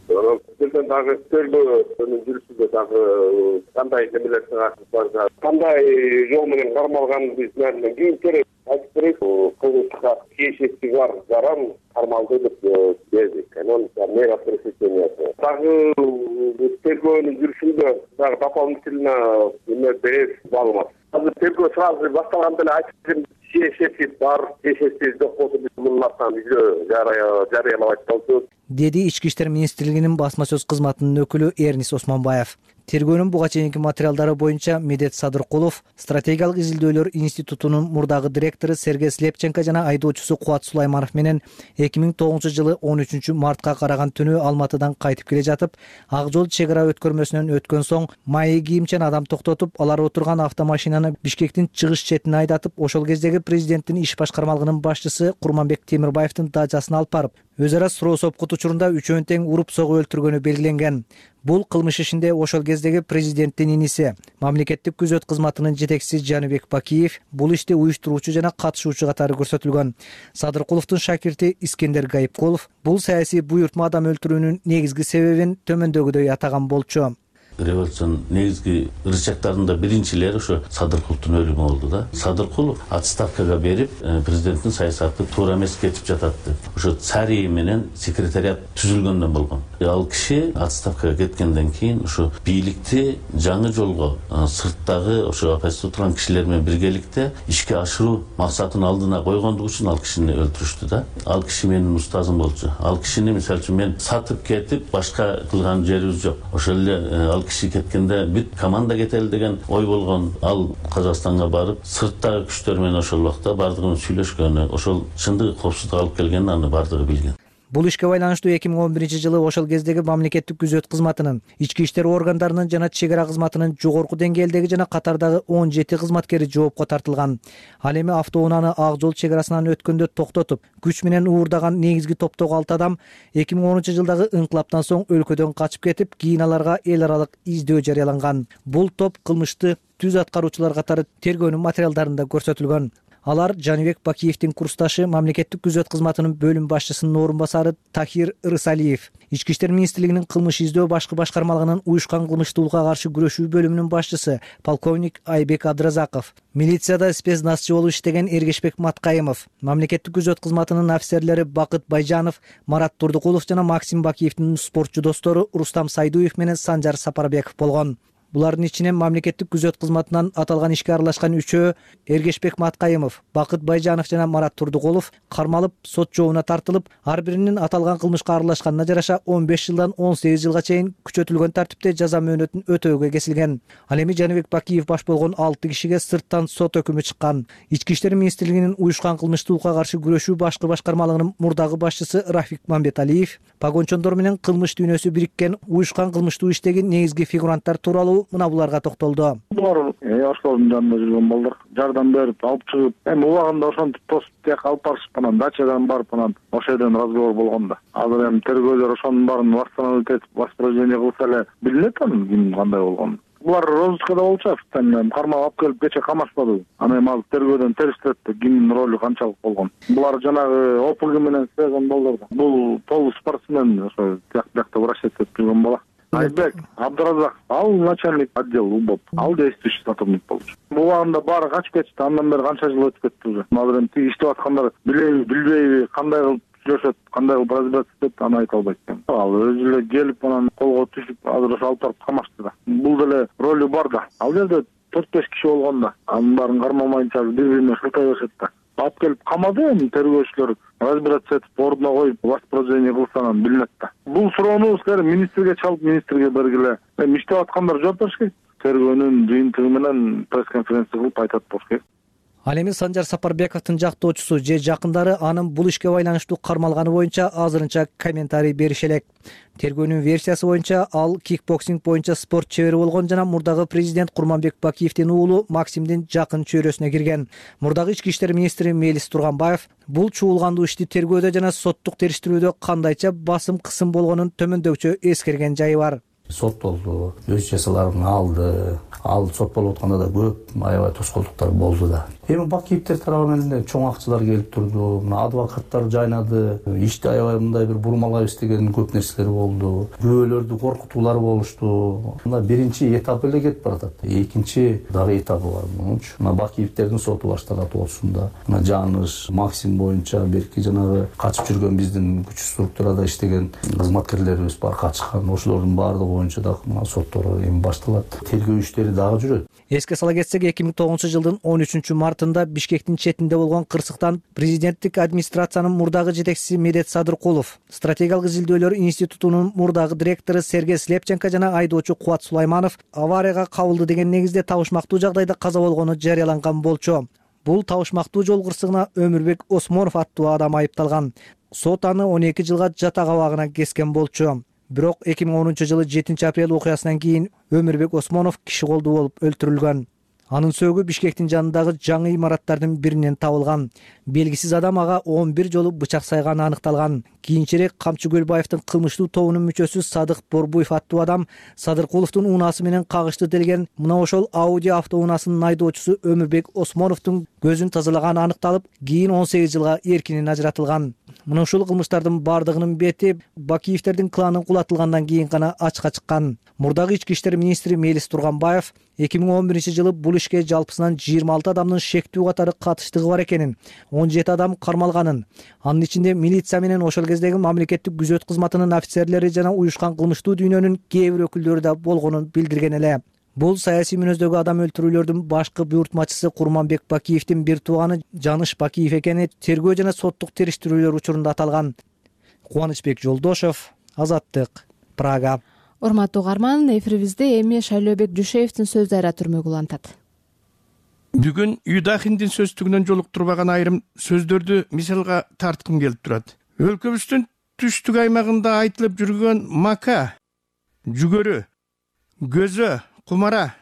Анан жерден дагы тергөөнүн жүрүшүндө дагы кандай немелерге бар, кандай жол менен кармалганын биз мындан кийин керек айтып берет. Кылмышка тиешеси бар жаран кармалды деп бердик. Анан мэра пресечениясы дагы тергөөнүн жүрүшүндө дагы дополнительно эме берет маалымат. Азыр тергөө сразу башталганда эле айтып бердим. Тиешеси бар, тиешеси жок болсо биз мунун артынан видео жарыялабайт болчу, деди Ички иштер министрлигинин басма сөз кызматынын өкүлү Эрнис Осмонбаев. Тергөөнүн буга чейинки материалдары боюнча Медет Садыркулов стратегиялык изилдөөлөр институтунун мурдагы директору Сергей Слепченко жана айдоочусу Кубат Сулайманов менен эки миң тогузунчу жылы он үчүнчү мартка караган түнү Алматыдан кайтып келе жатып, Ак жол чек ара өткөрмөсүнөн өткөн соң майы кийимчен адам токтотуп, алар отурган автомашинаны Бишкектин чыгыш четине айдатып, ошол кездеги президенттин иш башкармалыгынын башчысы Курманбек Темирбаевдин дачасына алып барып, өз ара суроо сопкут учурунда үчөөнү тең уруп согуп өлтүргөнү белгиленген. Бул кылмыш ишинде ошол кездеги президенттин иниси, мамлекеттик күзөт кызматынын жетекчиси Жаныбек Бакиев бул иште уюштуруучу жана катышуучу катары көрсөтүлгөн. Садыркуловдун шакирти Искендер Гайыпкулов бул саясий буйртма адам өлтүрүүнүн негизги себебин төмөндөгүдөй атаган болчу. Революциянын негизги ырычактарында биринчилери ошо Садыркуловдун өлүмү болду да. Садыркулов отставкага берип, президенттин саясаты туура эмес кетип жатат деп. Ошо Царий менен секретариат түзүлгөндөн болгон. Ал киши отставкага кеткенден кийин ошо бийликти жаңы жолго сырттагы ошо оппозицияда турган кишилер менен биргеликте ишке ашыруу максатын алдына койгондугу үчүн ал кишини өлтүрүштү да. Ал киши менин устазым болчу. Ал кишини мисалы үчүн мен сатып кетип башка кылган жерибиз жок. Ошол эле ал киши кеткенде бүт команда кетели деген ой болгон. Ал Казакстанга барып, сырттагы күчтөр менен ошол убакта бардыгын сүйлөшкөнү, ошол чындыгы коопсуздук алып келгенин аны бардыгы билген. Бул ишке байланыштуу эки миң он биринчи жылы ошол кездеги мамлекеттик күзөт кызматынын, ички иштер органдарынын жана чек ара кызматынын жогорку деңгээлдеги жана катардагы он жети кызматкери жоопко тартылган. Ал эми автоунааны Ак жол чек арасынан өткөндө токтотуп, күч менен уурдаган негизги топтогу алты адам эки миң онунчу жылдагы ыңкылаптан соң өлкөдөн качып кетип, кийин аларга эл аралык издөө жарыяланган. Бул топ кылмышты түз аткаруучулар катары тергөөнүн материалдарында көрсөтүлгөн. Алар Жаныбек Бакиевдин курсташы, мамлекеттик күзөт кызматынын бөлүм башчысынын орун басары Тахир Рысалиев, Ички иштер министрлигинин кылмыш издөө башкы башкармалыгынын уюшкан кылмыштуулукка каршы күрөшүү бөлүмүнүн башчысы полковник Айбек Абдыразаков, милицияда спецназчы болуп иштеген Эргешбек Маткайымов, мамлекеттик күзөт кызматынын офицерлери Бакыт Байжанов, Марат Турдукулов жана Максим Бакиевдин спортчу достору Рустам Сайдуев менен Санжар Сапарбеков болгон. Булардын ичинен мамлекеттик күзөт кызматынан аталган ишке аралашкан үчөө Эргешбек Маткайымов, Бакыт Байжанов жана Марат Турдукулов кармалып, сот жообуна тартылып, ар биринин аталган кылмышка аралашканына жараша он беш жылдан он сегиз жылга чейин күчөтүлгөн тартипте жаза мөөнөтүн өтөөгө кесилген. Ал эми Жаныбек Бакиев баш болгон алты кишиге сырттан сот өкүмү чыккан. Ички иштер министрлигинин уюшкан кылмыштуулукка каршы күрөшүү башкы башкармалыгынын мурдагы башчысы Рафик Мамбеталиев, погончондор менен кылмыш дүйнөсү бириккен уюшкан кылмыштуу иштеги негизги фигуранттар тууралуу мына буларга токтолду. Булар Осколдун жанында жүргөн балдар жардам берип алып чыгып, эми убагында ошентип тосуп тияка алып барышып, анан дачадан барып, анан ошол жерден разговор болгон да. Азыр эми тергөөлөр ошонун баарын восстановить этип, воспроизведение кылса эле билинет анын ким кандай болгону. Булар розыскада болчу, официально кармап алып келип кече камашпады. Анан эми ал тергөөдөн териштирет да кимдин ролу канчалык болгон. Булар жанагы ОПГ менен связан балдар. Бул полу спортсмен, ошо тиякта врачтеп жүргөн бала. Айбек Абдыразак, ал начальник отдел УБОП, ал действующий сотрудник болчу. Булагында баары качып кетти, андан бери канча жыл өтүп кетти уже. Азыр эми тиги иштеп аткандар билеби, билбейби, кандай кылып сүйлөшөт, кандай кылып разбираться этет, аны айта албайт экен. Ал өзү эле келип, анан колго түшүп, азыр ошо алып барып камашты да. Бул деле ролу бар да. Ал жерде төрт беш киши болгон да. Анын баарын кармамайынча бири-бирине шылтай беришет да. Алып келип камады, эми тергөөчүлөр разбираться этип, ордуна коюп, воспроизведение кылса анан билинет да. Бул суроону силер министрге чалып, министрге бергиле. Эми иштеп аткандар жооп бериш керек. Тергөөнүн жыйынтыгы менен пресс-конференция кылып айтат болуш керек. Ал эми Санжар Сапарбековдун жактоочусу же жакындары анын бул ишке байланыштуу кармалганы боюнча азырынча комментарий берише элек. Тергөөнүн версиясы боюнча ал кикбоксинг боюнча спорт чебери болгон жана мурдагы президент Курманбек Бакиевдин уулу Максимдин жакын чөйрөсүнө кирген. Мурдагы ички иштер министри Мелис Турганбаев бул чуулгандуу ишти тергөөдө жана соттук териштирүүдө кандайча басым кысым болгонун төмөндөгүчө эскерген жайы бар. Соттолду, өз жазаларын алды. Ал сот болуп атканда да көп аябай тоскоолдуктар болду да. Эми Бакиевдер тарабынан эле чоң акчалар келип турду. Мына адвокаттар жайнады. Ишти аябай мындай бир бурмалайбыз деген көп нерселер болду. Күбөлөрдү коркутуулар болушту. Мына биринчи этап эле кетип баратат. Экинчи дагы этабы бар. Муну үчүн мына Бакиевдердин соту башталат болсун да. Мына Жаныш, Максим боюнча берки жанагы качып жүргөн биздин күч структурада иштеген кызматкерлерибиз бар качкан. Ошолордун баардыгы боюнча дагы мына соттор эми башталат. Тергөө иштери дагы жүрөт. Эске сала кетсек, эки миң тогузунчу жылдын он үчүнчү мартында Бишкектин четинде болгон кырсыктан президенттик администрациянын мурдагы жетекчиси Медет Садыркулов, стратегиялык изилдөөлөр институтунун мурдагы директору Сергей Слепченко жана айдоочу Кубат Сулайманов аварияга кабылды деген негизде табышмактуу жагдайда каза болгону жарыяланган болчу. Бул табышмактуу жол кырсыгына Өмүрбек Осмонов аттуу адам айыпталган. Сот аны он эки жылга жатак абагына кескен болчу. Бирок эки миң онунчу жылы жетинчи апрель окуясынан кийин Өмүрбек Осмонов киши колдуу болуп өлтүрүлгөн. Анын сөөгү Бишкектин жанындагы жаңы имараттардын биринен табылган. Белгисиз адам ага он бир жолу бычак сайганы аныкталган. Кийинчерээк Камчы Көлбаевдин кылмыштуу тобунун мүчөсү Садык Борбуев аттуу адам Садыркуловдун унаасы менен кагышты делген мына ошол Ауди автоунаасынын айдоочусу Өмүрбек Осмоновдун көзүн тазалаганы аныкталып, кийин он сегиз жылга эркинен ажыратылган. Мына ушул кылмыштардын бардыгынын бети Бакиевдердин кланын кулатылгандан кийин гана ачыкка чыккан. Мурдагы ички иштер министри Мелис Турганбаев эки миң он биринчи жылы бул ишке жалпысынан жыйырма алты адамдын шектүү катары катыштыгы бар экенин, он жети адам кармалганын, анын ичинде милиция менен ошол кездеги мамлекеттик күзөт кызматынын офицерлери жана уюшкан кылмыштуу дүйнөнүн кээ бир өкүлдөрү да болгонун билдирген эле. Бул саясий мүнөздөгү адам өлтүрүүлөрдүн башкы буйртмачысы Курманбек Бакиевдин бир тууганы Жаныш Бакиев экени тергөө жана соттук териштирүүлөр учурунда аталган. Кубанычбек Жолдошов, Азаттык, Прага. Урматтуу угарман, эфирибизде эми Шайлообек Жушеевдин сөздөрү түрмөгү улантат. Бүгүн Юдахиндин сөздүгүнөн жолуктурбаган айрым сөздөрдү мисалга тарткым келип турат. Өлкөбүздүн түштүк аймагында айтылып жүргөн мака, жүгөрү, көзө, кумара,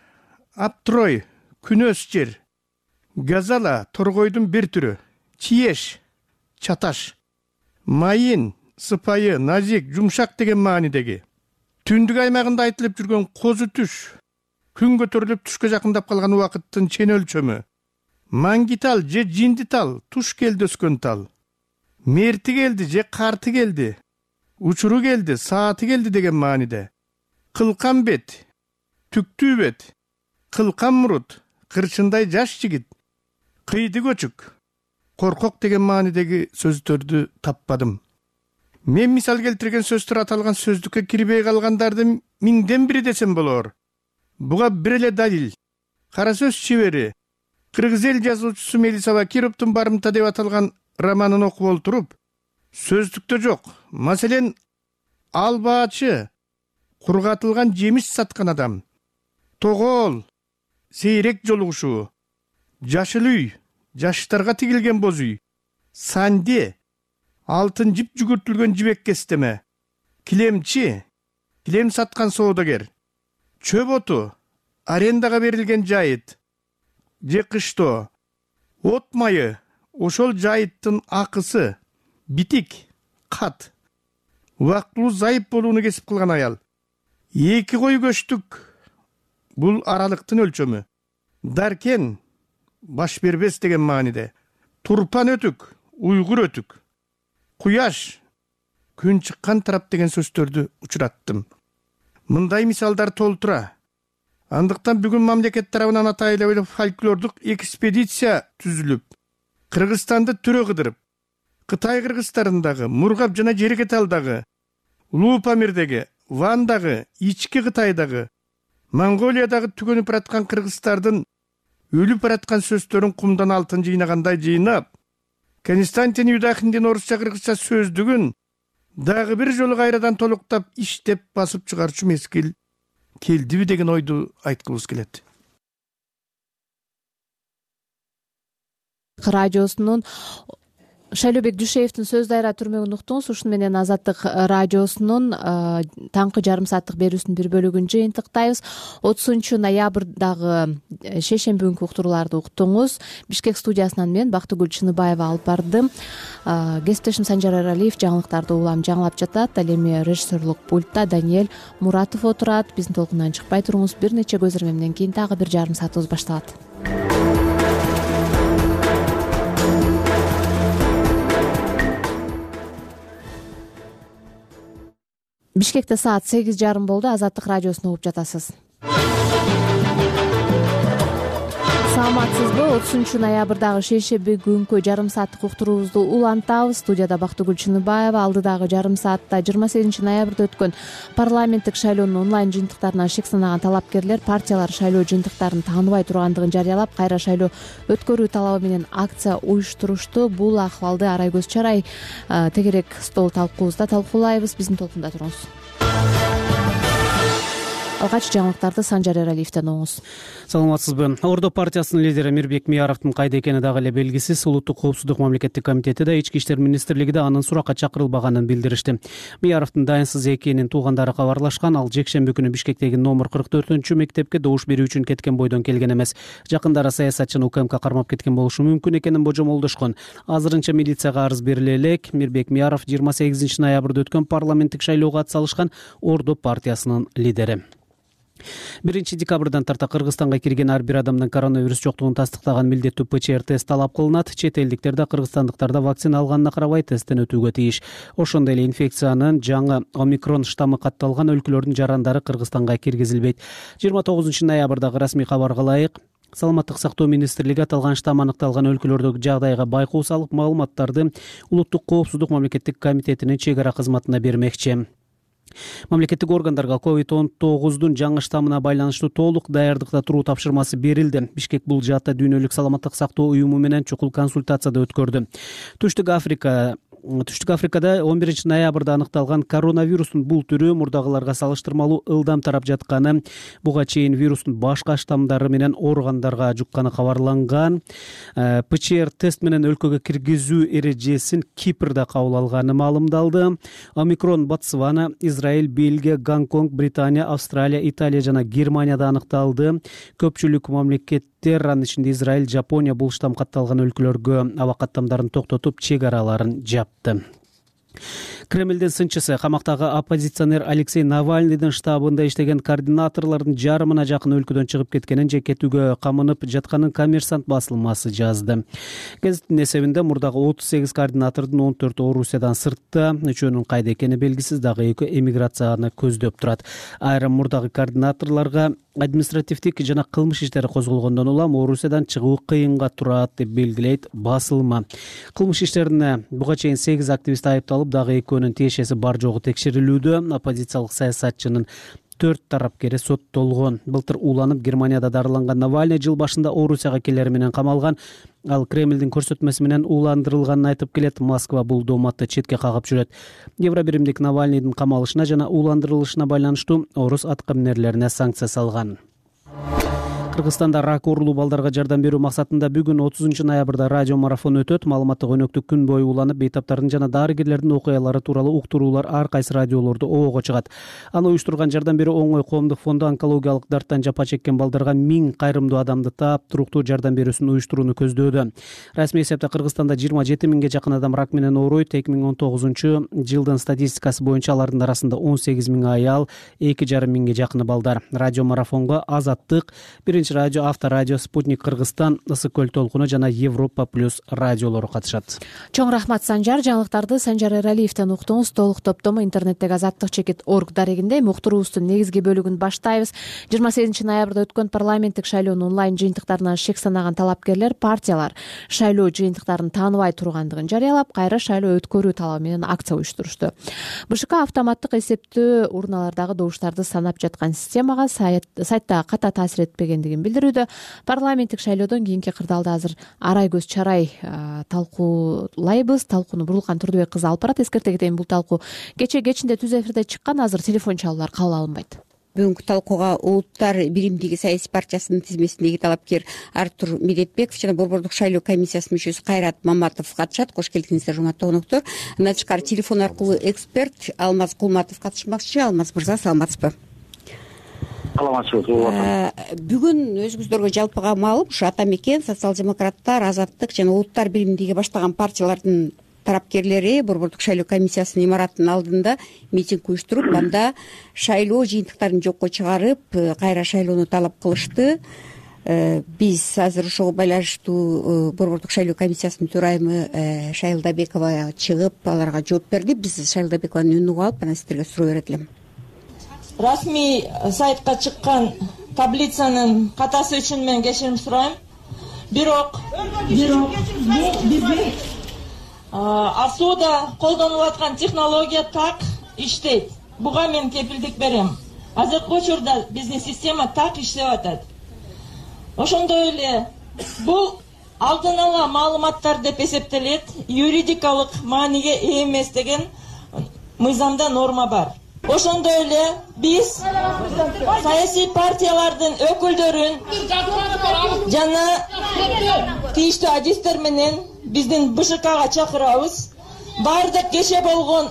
аптрой, күнөс жер, газала, торгойдун бир түрү, чиеш, чаташ, майын, сыпайы, назик, жумшак деген маанидеги. Түндүк аймагында айтылып жүргөн козу түш, күн көтөрүлүп түшкө жакындап калган убакыттын чен өлчөмү, маңгитал же жиндитал, туш келди өскөн тал, мерти келди же карты келди, учуру келди, сааты келди деген мааниде. Кылкан бет, түктүү бет, кылкан мурут, кырчындай жаш жигит, кыйды көчүк, коркок деген маанидеги сөздөрдү таппадым. Мен мисал келтирген сөздөр аталган сөздүккө кирбей калгандардын миңден бири десем болор. Буга бир эле далил. Кара сөз чебери, кыргыз эл жазуучусу Мелисова Кировдун барымта деп аталган романын окуп олтуруп, сөздүктө жок. Маселен, албаачы, кургатылган жемиш саткан адам, тогоол, сейрек жолугушуу, жашыл үй, жаштарга тигилген боз үй, санде, алтын жип жүгүртүлгөн жибек кестеме, килемчи, килем саткан соодагер, чөп оту, арендага берилген жайыт, же кыштоо, от майы, ошол жайыттын акысы, битик, кат, убактылуу зайып болууну кесип кылган аял, эки кой көчтүк, бул аралыктын өлчөмү, даркен, баш бербес деген мааниде, турпан өтүк, уйгур өтүк, куяш, күн чыккан тарап деген сөздөрдү учураттым. Мындай мисалдар толтура. Андыктан бүгүн мамлекет тарабынан атайлуу фольклордук экспедиция түзүлүп, Кыргызстанды түрө кыдырып, Кытай кыргыздарындагы, Мургап жана Жеркеталдагы, Улуу Памирдеги, Вандагы, ички Кытайдагы, Монголиядагы түгөнүп бараткан кыргыздардын өлүп бараткан сөздөрүн кумдан алтын жыйнагандай жыйнап, Константин Юдахиндин орусча кыргызча сөздүгүн дагы бир жолу кайрадан толуктап иштеп басып чыгарчу мезгил келдиби деген ойду айткыбыз келет. радиосунун Шайлообек Дүйшеевдин сөз дайра түрмөгүн уктуңуз. Ушуну менен Азаттык радиосунун таңкы жарым сааттык берүүсүнүн бир бөлүгүн жыйынтыктайбыз. отузунчу ноябрдагы шейшемби күнкү уктурууларды уктуңуз. Бишкек студиясынан мен Бактыгүл Чыныбаева алып бардым. Кесиптешим Санжар Эралиев жаңылыктарды улам жаңылап жатат. Ал эми режиссерлук пультта Даниэль Муратов отурат. Биздин толкундан чыкпай туруңуз. Бир нече көзөрмөмдөн кийин дагы бир жарым саатыбыз башталат. Бишкекте саат сегиз жарым болду. Азаттык радиосун угуп жатасыз. Саламатсызбы? отузунчу ноябрдагы шейшемби күнкү жарым сааттык уктуруубузду улантабыз. Студияда Бактыгүл Чыныбаева. Алдыдагы жарым саатта жыйырма сегизинчи ноябрда өткөн парламенттик шайлоонун онлайн жыйынтыктарына шек санаган талапкерлер партиялар шайлоо жыйынтыктарын тааныбай тургандыгын жарыялап, кайра шайлоо өткөрүү талабы менен акция уюштурушту. Бул акыбалды Арайгөз Чарай тегерек стол талкуубузда талкуулайбыз. Биздин толкунда туруңуз. Алгач жаңылыктарды Санжар Эралиевден угуңуз. Саламатсызбы? Ордо партиясынын лидери Мирбек Мияровдун кайда экени дагы эле белгисиз. Улуттук коопсуздук мамлекеттик комитети да, Ички иштер министрлиги да анын суракка чакырылбаганын билдиришти. Мияровдун дайынсыз экенин туугандары кабарлашкан. Ал жекшемби күнү Бишкектеги номер кырк төртүнчү мектепке добуш берүү үчүн кеткен бойдон келген эмес. Жакындары саясатчыны УКМК кармап кеткен болушу мүмкүн экенин божомолдошкон. Азырынча милицияга арыз бериле элек. Мирбек Мияров жыйырма сегизинчи ноябрда өткөн парламенттик шайлоого ат салышкан Ордо партиясынын лидери. биринчи декабрдан тарта Кыргызстанга кирген ар бир адамдан коронавирус жоктугун тастыктаган милдеттүү ПЧР тест талап кылынат. Чет элдиктер да кыргызстандыктар да вакцина алганына карабай тесттен өтүүгө тийиш. Ошондой эле инфекциянын жаңы омикрон штаммы катталган өлкөлөрдүн жарандары Кыргызстанга киргизилбейт. жыйырма тогузунчу ноябрдагы расмий кабарга ылайык, Саламаттык сактоо министрлиги аталган штамм аныкталган өлкөлөрдөгү жагдайга байкоо салып, маалыматтарды Улуттук коопсуздук мамлекеттик комитетинин чек ара кызматына бермекчи. Мамлекеттик органдарга ковид он тогуздун жаңы штаммына байланыштуу толук даярдыкта туруу тапшырмасы берилди. Бишкек бул жаатта Дүйнөлүк саламаттык сактоо уюму менен чукул консультацияда өткөрдү. Түштүк Африка Түштүк Африкада он биринчи ноябрда аныкталган коронавирустун бул түрү мурдагыларга салыштырмалуу ылдам тарап жатканы, буга чейин вирустун башка штаммдары менен ооругандарга жукканы кабарланган. ПЧР тест менен өлкөгө киргизүү эрежесин Кипрда кабыл алганы маалымдалды. Омикрон Ботсвана, Израиль, Бельгия, Гонконг, Британия, Австралия, Италия жана Германияда аныкталды. Көпчүлүк мамлекеттер, анын ичинде Израиль, Жапония бул штамм катталган өлкөлөргө аба каттамдарын токтотуп, чек араларын жапты. Кремлдин сынчысы, камактагы оппозиционер Алексей Навальныйдын штабында иштеген координаторлордун жарымына жакын өлкөдөн чыгып кеткенин же кетүүгө камынып жатканын Коммерсант басылмасы жазды. Гезиттин эсебинде мурдагы отуз сегиз координатордун он төртү Орусиядан сыртта, үчөөнүн кайда экени белгисиз, дагы экөө эмиграцияны көздөп турат. Айрым мурдагы координаторлорго административдик жана кылмыш иштери козголгондон улам Орусиядан чыгуу кыйынга турат деп белгилейт басылма. Кылмыш иштерине буга чейин сегиз активист айыпталып, дагы экөөнүн тиешеси бар жогу текшерилүүдө. Оппозициялык саясатчынын төрт тарапкери соттолгон. Былтыр уланып Германияда дарыланган Навальный жыл башында Орусияга келери менен камалган. Ал Кремлдин көрсөтмөсү менен ууландырылганын айтып келет. Москва бул дооматты четке кагып жүрөт. Евробиримдик Навальныйдын камалышына жана ууландырылышына байланыштуу орус аткаминерлерине санкция салган. Кыргызстанда рак оорулуу балдарга жардам берүү максатында бүгүн отузунчу ноябрда радио марафон өтөт. Маалыматтык өнөктүк күн бою уланып, бейтаптардын жана дарыгерлердин окуялары тууралуу уктуруулар ар кайсы радиолордо обого чыгат. Аны уюштурган жардам берүү оңой коомдук фонду онкологиялык дарттан жапа чеккен балдарга миң кайрымдуу адамды таап, туруктуу жардам берүүсүн уюштурууну көздөөдө. Расмий эсепте Кыргызстанда жыйырма жети миңге жакын адам рак менен ооруйт. эки миң он тогузунчу жылдын статистикасы боюнча алардын арасында он сегиз миң аял, эки жарым миңге жакыны балдар. Радио марафонго Азаттык, биринчи радио, Авторадио, Спутник Кыргызстан, Ысык көл толкуну жана Европа плюс радиолору катышат. Чоң рахмат Санжар. Жаңылыктарды Санжар Эралиевден уктуңуз. Толук топтому интернеттеги азаттык чекит орг дарегинде. Уктуруубуздун негизги бөлүгүн баштайбыз. жыйырма сегизинчи ноябрда өткөн парламенттик шайлоонун онлайн жыйынтыктарына шек санаган талапкерлер партиялар шайлоо жыйынтыктарын тааныбай тургандыгын жарыялап, кайра шайлоо өткөрүү талабы менен акция уюштурушту. БШК автоматтык эсептөө урналардагы добуштарды санап жаткан системага сайтта ката таасир этпегендигин билдирүүдө. Парламенттик шайлоодон кийинки кырдаалды азыр Арайгөз Чарай талкуулайбыз. Талкууну Бурулкан Турдубек кызы алып барат. Эскерте кетейин, бул талкуу кече кечинде түз эфирде чыккан, азыр телефон чалуулар кабыл алынбайт. бүгүнкү талкууга улуттар биримдиги саясий партиясынын тизмесиндеги талапкер Артур Медетбеков жана Борбордук шайлоо комиссиясынын мүчөсү Кайрат Маматов катышат. Кош келиңиздер, урматтуу коноктор. Андан тышкары телефон аркылуу эксперт Алмаз Кулматов катышмакчы. Алмаз мырза, саламатсызбы? Саламатчылык. Бүгүн өзүңүздөргө жалпыга маалым, ушу Ата Мекен, Социал-демократтар, Азаттык жана Улуттар биримдиги баштаган партиялардын тарапкерлери Борбордук шайлоо комиссиясынын имаратынын алдында митинг уюштуруп, анда шайлоо жыйынтыктарын жокко чыгарып, кайра шайлоону талап кылышты. Биз азыр ошого байланыштуу Борбордук шайлоо комиссиясынын төрайымы Шайлдабекова чыгып, аларга жооп берди. Биз Шайлдабекованын үнүн угуп алып, анан сиздерге суроо берет элем. Расмий сайтка чыккан таблицанын катасы үчүн мен кечирим сурайм. Бирок бирок бизде АСОда колдонулуп аткан технология так иштейт. Буга мен кепилдик берем. Азыркы учурда биздин система так иштеп атат. Ошондой эле бул алдын ала маалыматтар деп эсептелет, юридикалык мааниге ээ эмес деген мыйзамда норма бар. Ошондой эле биз саясий партиялардын өкүлдөрүн жана тийиштүү адистер менен биздин БШКга чакырабыз. Баардык кечээ болгон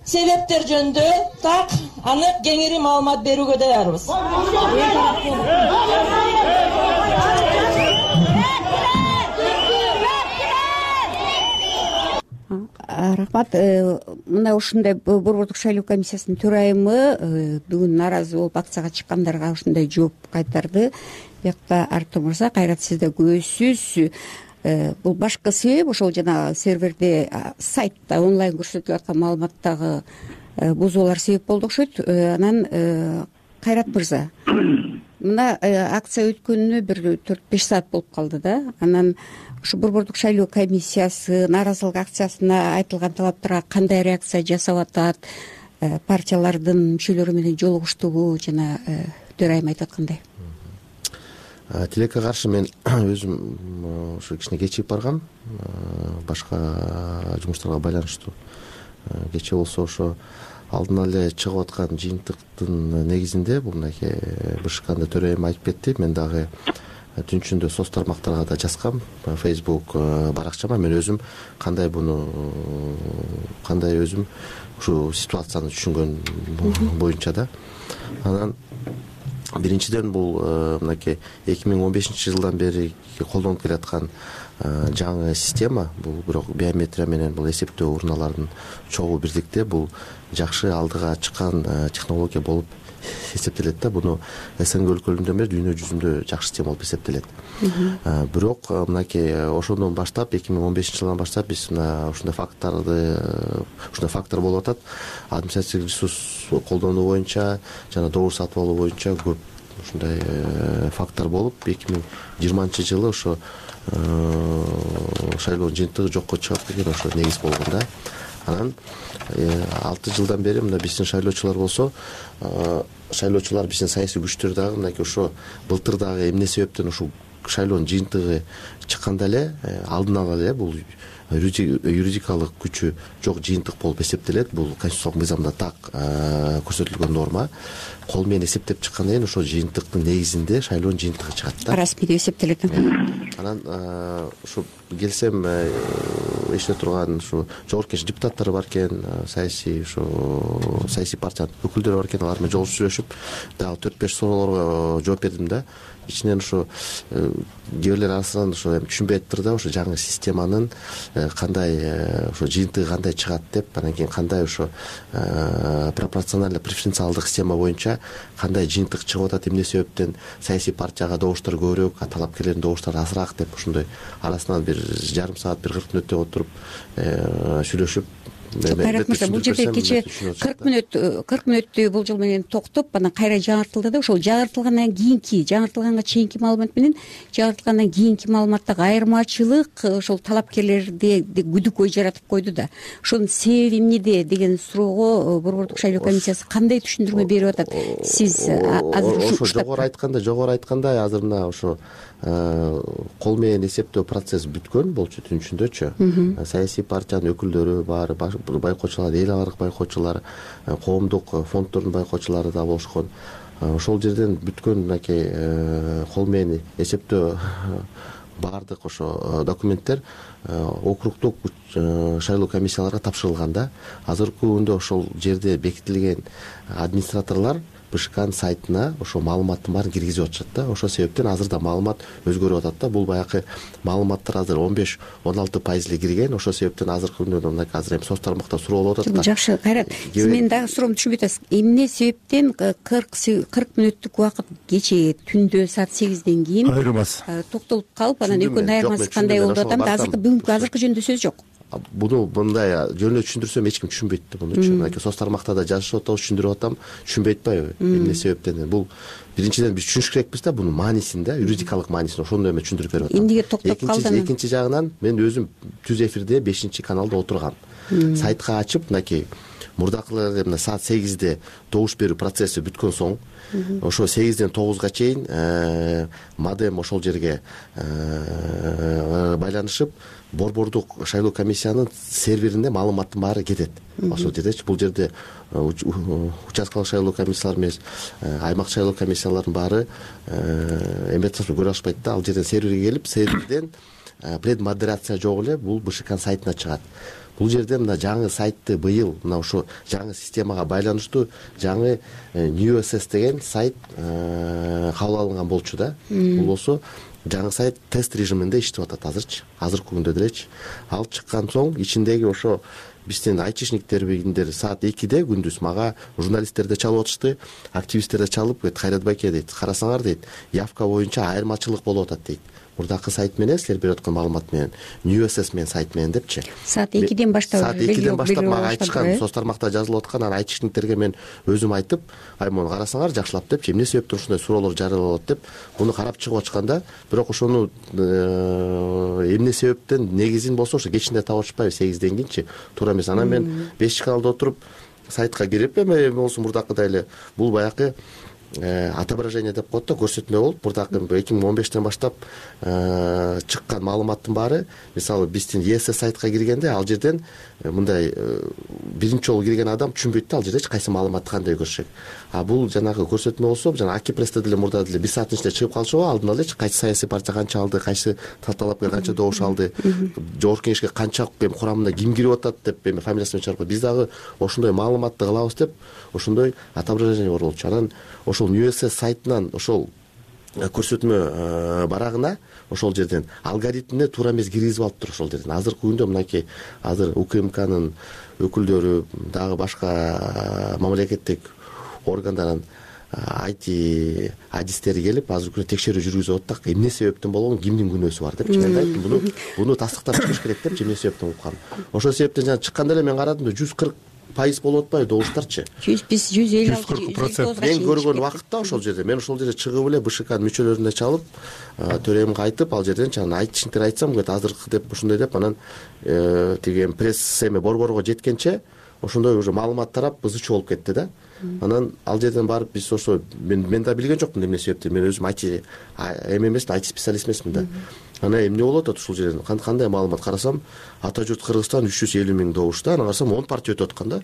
себептер жөнүндө так анык кеңири маалымат берүүгө даярбыз. Рахмат. Мына ушундай Борбордук шайлоо комиссиясынын төрайымы бүгүн нааразы болуп акцияга чыккандарга ушундай жооп кайтарды. Биякта Артур мырза, Кайрат, сиз да күбөсүз. Бул башкы себеп ошол жана серверде, сайтта онлайн көрсөтүлүп аткан маалыматтагы бузуулар себеп болду окшойт. Анан Кайрат мырза, мына акция өткөнүнө бир төрт беш саат болуп калды да. Анан ушу Борбордук шайлоо комиссиясы нааразылык акциясына айтылган талаптарга кандай реакция жасап атат? Партиялардын мүчөлөрү менен жолугуштугу жана төрайым айтып аткандай. Тилекке каршы мен өзүм ушу кичине кечигип баргам. Башка жумуштарга байланыштуу. Кечээ болсо ошо алдын эле чыгып аткан жыйынтыктын негизинде бул мынакей БШКнын төрайымы айтып кетти. Мен дагы түн ичинде соц тармактарга да жазгам, Facebook баракчама. Мен өзүм кандай буну кандай өзүм ушу ситуацияны түшүнгөн боюнча да. Анан биринчиден бул мынакей эки миң он бешинчи жылдан бери колдонуп келаткан жаңы система. Бул бирок биометрия менен бул эсептөө урналардын чогуу бирдикте бул жакшы алдыга чыккан технология болуп эсептелет да. Буну СНГ өлкөлөрүндөн бери дүйнө жүзүндө жакшы система болуп эсептелет. Бирок мынакей ошондон баштап эки миң он бешинчи жылдан баштап биз мына ушундай факттарды ушундай фактор болуп атат. Административдик ресурс колдонуу боюнча жана добур сатып алуу боюнча көп ушундай фактор болуп, эки миң жыйырманчы жылы ошо шайлоонун жыйынтыгы жокко чыгат деген ошо негиз болгон да. Анан алты жылдан бери мына биздин шайлоочулар болсо, шайлоочулар биздин саясий күчтөр дагы мынакей ошо былтыр дагы эмне себептен ушул шайлоонун жыйынтыгы чыкканда эле алдын ала эле бул юридикалык күчү жок жыйынтык болуп эсептелет. Бул конституциялык мыйзамда так көрсөтүлгөн норма. Кол менен эсептеп чыккандан кийин ошол жыйынтыктын негизинде шайлоонун жыйынтыгы чыгат да. Расмий деп эсептелет. Анан ушу келсем эшине турган ушу жогорку кеңеш депутаттары бар экен, саясий ушу саясий партиянын өкүлдөрү бар экен, алар менен жолугушуп сүйлөшүп дагы төрт беш суроолорго жооп бердим да. Ичинен ушу кээ бирлер арасынан ушу эми түшүнбөй атыптыр да, ушу жаңы системанын кандай ушу жыйынтыгы кандай чыгат деп, анан кийин кандай ушу пропорционально преференциалдык система боюнча кандай жыйынтык чыгып атат, эмне себептен саясий партияга добуштар көбүрөөк, талапкерлердин добуштары азыраак деп ушундай арасынан бир жарым саат бир кырк мүнөттөй отуруп сүйлөшүп. Кайрат мырза, бул жерде кечээ кырк мүнөт кырк мүнөттөй болжол менен токтоп, анан кайра жаңыртылды да. Ошол жаңыртылгандан кийинки, жаңыртылганга чейинки маалымат менен жаңыртылгандан кийинки маалыматтагы айырмачылык ошол талапкерлерде күдүк ой жаратып койду да. Ошонун себеби эмнеде деген суроого Борбордук шайлоо комиссиясы кандай түшүндүрмө берип атат? Сиз азыр ошо жогору айтканда, жогору айтканда азыр мына ошо кол менен эсептөө процесс бүткөн болчу түн ичиндөчү. Саясий партиянын өкүлдөрү баары байкоочулар, эл аралык байкоочулар, коомдук фонддордун байкоочулары да болушкон. Ошол жерден бүткөн мынакей кол менен эсептөө баардык ошо документтер округдук шайлоо комиссияларга тапшырылган да. Азыркы күндө ошол жерде бекитилген администраторлор БШКнын сайтына ошо маалыматтын баарын киргизип атышат да. Ошол себептен азыр да маалымат өзгөрүп атат да. Бул баягы маалыматтар азыр он беш он алты пайыз эле кирген. Ошол себептен азыркы күндө мынакей азыр эми соц тармакта суроолуп атат да. Жакшы, Кайрат, сиз менин дагы суроомду түшүнбөй атасыз. Эмне себептен кырк мүнөттүк убакыт кечээ түндө саат сегизден кийин айырмасы токтолуп калып, анан экөөнүн айырмасы кандай болуп атат да? Азыркы бүгүнкү азыркы жөнүндө сөз жок. Буну мындай жөнүндө түшүндүрсөм эч ким түшүнбөйт да мунучу. Мынакей соц тармакта да жазышып атабыз, түшүндүрүп атам, түшүнбөй атпайбы? Эмне себептен? Бул биринчиден биз түшүнүш керекпиз да бунун маанисин да, юридикалык маанисин. Ошондой эме түшүндүрүп берип атам. Эмнеге токтоп калды? Экинчи жагынан мен өзүм түз эфирде бешинчи каналда отургам. Сайтка ачып, мынакей мурдакылар мына саат сегизде добуш берүү процесси бүткөн соң, ошо сегизден тогузга чейин модем ошол жерге байланышып, борбордук шайлоо комиссиянын серверине маалыматтын баары кетет. Ошол жердечи, бул жерде участкалык шайлоо комиссиялары эмес, аймак шайлоо комиссияларынын баары эме көрө алышпайт да. Ал жерден серверге келип, серверден предмодерация жок эле бул БШКнын сайтына чыгат. Бул жерде мына жаңы сайтты быйыл мына ошо жаңы системага байланыштуу жаңы New эс эс деген сайт кабыл алынган болчу да. Бул болсо жаңы сайт тест режиминде иштеп атат азырчы, азыркы күндө делечи. Ал чыккан соң ичиндеги ошо биздин айтишниктер бигиндер саат экиде күндүз мага журналисттер да чалып атышты, активисттер да чалып, Кайрат байке дейт, карасаңар дейт, явка боюнча айырмачылык болуп атат дейт. Мурдакы сайт менен силер берип аткан маалымат менен New эс эс менен сайт менен депчи. Саат экиден баштап саат экиден баштап мага айтышкан, соц тармакта жазылып аткан, анан айтишниктерге мен өзүм айтып, ай муну карасаңар жакшылап депчи, эмне себептен ушундай суроолор жарыяланат деп, буну карап чыгып атышканда, бирок ошону эмне себептен негизин болсо ошо кечинде таап атышпайбы, сегизден кийинчи, туура эмес. Анан мен бешинчи каналда отуруп сайтка кирип, эме болсо мурдакыдай эле бул баягы отображение деп коет да, көрсөтмө болуп, мурдакы эки миң он бештен баштап чыккан маалыматтын баары, мисалы биздин е эс эс сайтка киргенде ал жерден мындай биринчи жолу кирген адам түшүнбөйт да, ал жердечи кайсы маалыматты кандай көрсөк. А бул жанагы көрсөтмө болсо, жана Акипрессте деле мурда деле бир сааттын ичинде чыгып калышыбы, алдын алачы кайсы саясий партия канча алды, кайсы талапкер канча добуш алды, жогорку кеңешке канча эми курамында ким кирип атат деп эми фамилиясын чыгарып, биз дагы ошондой маалыматты кылабыз деп ошондой отображение бар болчу. Анан ошол New эс эс сайтынан ошол көрсөтмө барагына ошол жерден алгоритмине туура эмес киргизип алыптыр ошол жерден. Азыркы күндө мынакей азыр УКМКнын өкүлдөрү, дагы башка мамлекеттик органдардын ай ти адистери келип азыркы күндө текшерүү жүргүзүп атат да, эмне себептен болгон, кимдин күнөөсү бар депчи. Мен айттым, буну буну тастыктап чыгыш керек депчи, эмне себептен болуп калган. Ошол себептен жана чыкканда эле мен карадым да жүз кырк пайыз болуп атпайбы добуштарчы? жүз биз жүз элүү алты жүз кырк процент. Мен көргөн вакытта ошол жерде мен ошол жерде чыгып эле БШКнын мүчөлөрүнө чалып, төрөймүнкө айтып, ал жерден чана айтишниктер айтсам, азыркы деп ушундай деп, анан тиги пресс эме борборго жеткенче ошондой уже маалымат тарап ызы чуу болуп кетти да. Анан ал жерден барып биз ошо мен мен да билген жокмун эмне себептен, мен өзүм айти эме эмесмин, айти специалист эмесмин да. Анан эмне болуп атат ушул жерден, кандай маалымат карасам, Ата журт Кыргызстан үч жүз элүү миң добушта, анан карасам он партия өтүп аткан да.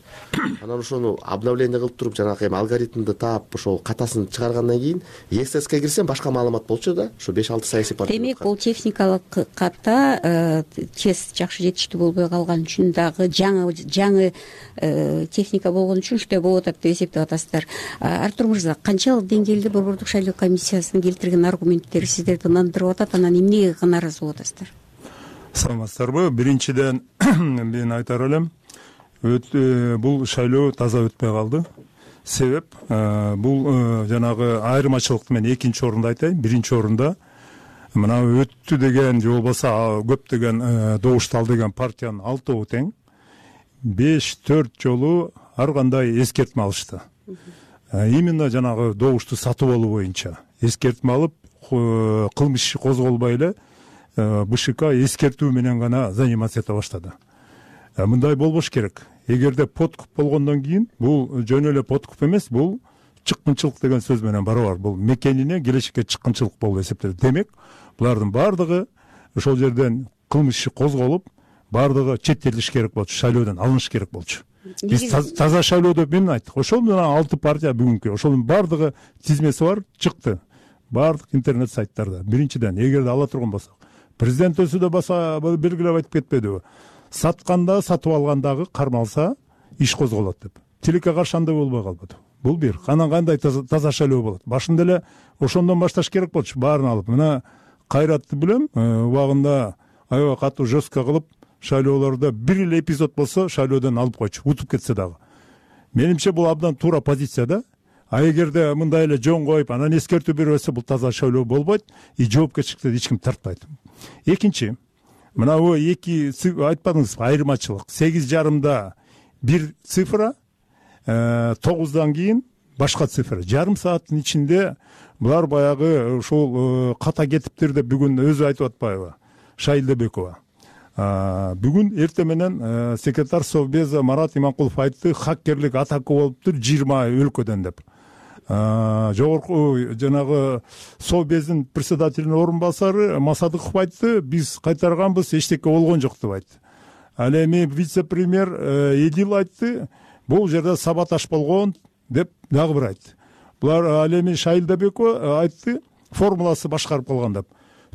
Анан ошону обновление кылып туруп, жанагы эми алгоритмди таап, ошол катасын чыгаргандан кийин е эс эске кирсем башка маалымат болчу да. Ошо беш алты саясий партия. Демек, бул техникалык ката тез жакшы жетиштүү болбой калган үчүн дагы жаңы жаңы техника болгон үчүн ушундай болуп атат деп эсептеп атасыздар. Артур мырза, канчалык деңгээлде борбордук шайлоо комиссиясынын келтирген аргументтери сиздерди ынандырып атат, анан эмнеге нааразы болуп атасыздар? Саламатсыздарбы? Биринчиден мен айтар элем, бул шайлоо таза өтпөй калды. Себеп бул жанагы айырмачылыкты мен экинчи орунда айтайын. Биринчи орунда мына өттү деген же болбосо көптөгөн добушту алды деген партиянын алтоо тең беш төрт жолу ар кандай эскертме алышты. Именно жанагы добушту сатып алуу боюнча эскертме алып, кылмыш иши козголбой эле БШК эскертүү менен гана заниматься эте баштады. Мындай болбош керек. Эгерде подкуп болгондон кийин, бул жөн эле подкуп эмес, бул чыккынчылык деген сөз менен барабар. Бул мекенине келечекке чыккынчылык болуп эсептелет. Демек, булардын баардыгы ошол жерден кылмыш иши козголуп, баардыгы четтетилиш керек болчу, шайлоодон алыныш керек болчу. Биз таза шайлоо деп эмне айттык? Ошол менен алты партия бүгүнкү ошонун баардыгы тизмеси бар чыкты. Баардык интернет сайттарда. Биринчиден, эгерде ала турган болсок, президент өзү да баса белгилеп айтып кетпедиби? Сатканда, сатып алгандагы кармалса, иш козголот деп. Тилекке каршы андай болбой калбады. Бул бир. Анан кандай таза шайлоо болот? Башында эле ошондон башташ керек болчу, баарын алып. Мына Кайратты билем, убагында аябай катуу жестко кылып, шайлоолордо бир эле эпизод болсо, шайлоодон алып койчу, утуп кетсе дагы. Менимче бул абдан туура позиция да. А эгерде мындай эле жөн коюп, анан эскертүү бербесе, бул таза шайлоо болбойт, и жоопкерчиликти эч ким тартпайт. Экинчи, мына бу эки айтпадыңызбы, айырмачылык. сегиз жарымда бир цифра, тогуздан кийин башка цифра. Жарым сааттын ичинде булар баягы ушул ката кетиптир деп бүгүн өзү айтып атпайбы? Шайлдебекова. Бүгүн эртең менен секретарь Совбеза Марат Иманкулов айтты, хакерлик атака болуптур жыйырма өлкөдөн деп. Жогорку жанагы Совбездин председателинин орун басары Масадыков айтты, биз кайтарганбыз, эчтеке болгон жок деп айтты. Ал эми вице-премьер Эдил айтты, бул жерде саботаж болгон деп дагы бир айтты. Булар ал эми Шайлдебекова айтты, формуласы башкарып калган деп.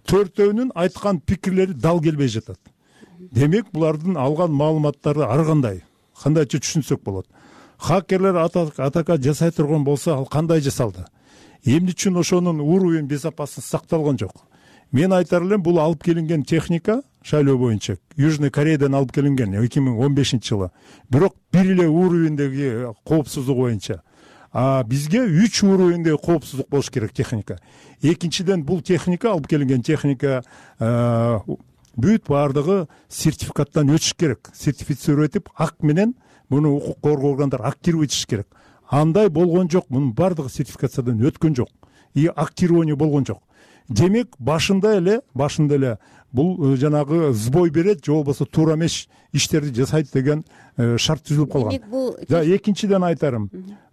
Төртөөнүн айткан пикирлери дал келбей жатат. Демек, булардын алган маалыматтары ар кандай, кандайча түшүнсөк болот. Хакерлер атака жасай турган болсо, ал кандай жасалды? Эмне үчүн ошонун уровень безопасности сакталган жок? Мен айтар элем, бул алып келинген техника шайлоо боюнча Южный Кореядан алып келинген эки миң он бешинчи жылы. Бирок бир эле уровеньдеги коопсуздук боюнча. А бизге үч уровеньдеги коопсуздук болуш керек техника. Экинчиден, бул техника, алып келинген техника бүт баардыгы сертификаттан өтүш керек. Сертифицировать этип, ак менен муну укук коргоо органдары актировать этиш керек. Андай болгон жок, мунун баардыгы сертификациядан өткөн жок. И актирование болгон жок. Демек, башында эле, башында эле бул жанагы сбой берет, же болбосо туура эмес иштерди жасайт деген шарт түзүлүп калган. Демек, бул экинчиден айтарым.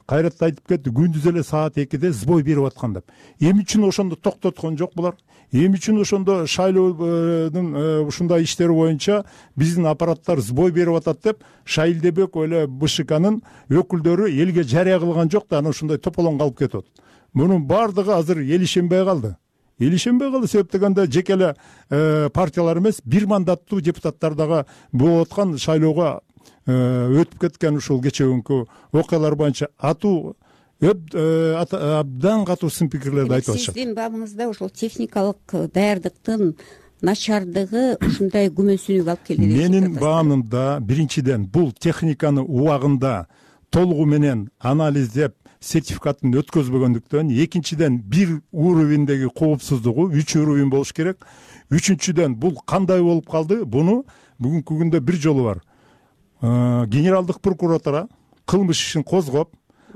Кайрат айтып кетти, күндүз эле саат экиде сбой берип аткан деп. Эмне үчүн ошондо токтоткон жок булар? Эмне үчүн ошондо шайлоонун ушундай иштери боюнча биздин аппараттар сбой берип атат деп Шайлдебек эле БШКнын өкүлдөрү элге жарыя кылган жок да, анан ушундай тополоң калып кетет. Мунун баардыгы азыр эл ишенбей калды. Эл ишенбей калды, себеп дегенде жеке эле партиялар эмес, бир мандаттуу депутаттар дагы болуп аткан шайлоого өтүп кеткен ушул кечеүнкү окуялар боюнча атуу абдан катуу сын пикирлерди айтып атышат. Сиздин бабыңызда ошол техникалык даярдыктын начардыгы ушундай күмөнсүнүүгө алып келди. Менин баамымда биринчиден бул техниканы убагында толугу менен анализдеп сертификатын өткөзбөгөндүктөн, экинчиден бир уровеньдеги коопсуздугу үч уровень болуш керек. Үчүнчүдөн бул кандай болуп калды? Буну бүгүнкү күндө бир жолу бар. Генералдык прокуратура кылмыш ишин козгоп,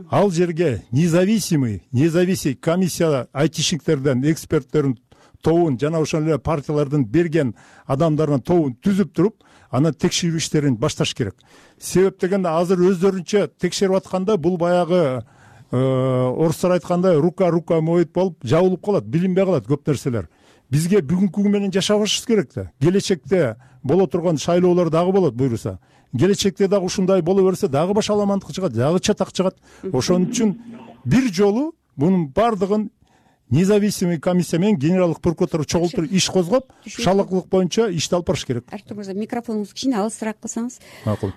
ал жерге независимый, независимый комиссия айтишниктерден, эксперттердин тобун, жана ошол эле партиялардын берген адамдардын тобун түзүп туруп, анан текшерүү иштерин башташ керек. Себеп дегенде азыр өздөрүнчө текшерип атканда бул баягы орустар айткандай рука рука моет болуп жабылып калат, билинбей калат көп нерселер. Бизге бүгүнкү күн менен жашабашыбыз керек да. Келечекте боло турган шайлоолор дагы болот буйруса. Келечекте дагы ушундай боло берсе, дагы башаламандык чыгат, дагы чатак чыгат. Ошон үчүн бир жолу мунун баардыгын независимый комиссия менен генералдык прокуратура чогултуруп иш козгоп, шалаклык боюнча ишти алып барыш керек. Артур мырза, микрофонуңузду кичине алысыраак кылсаңыз. Макул.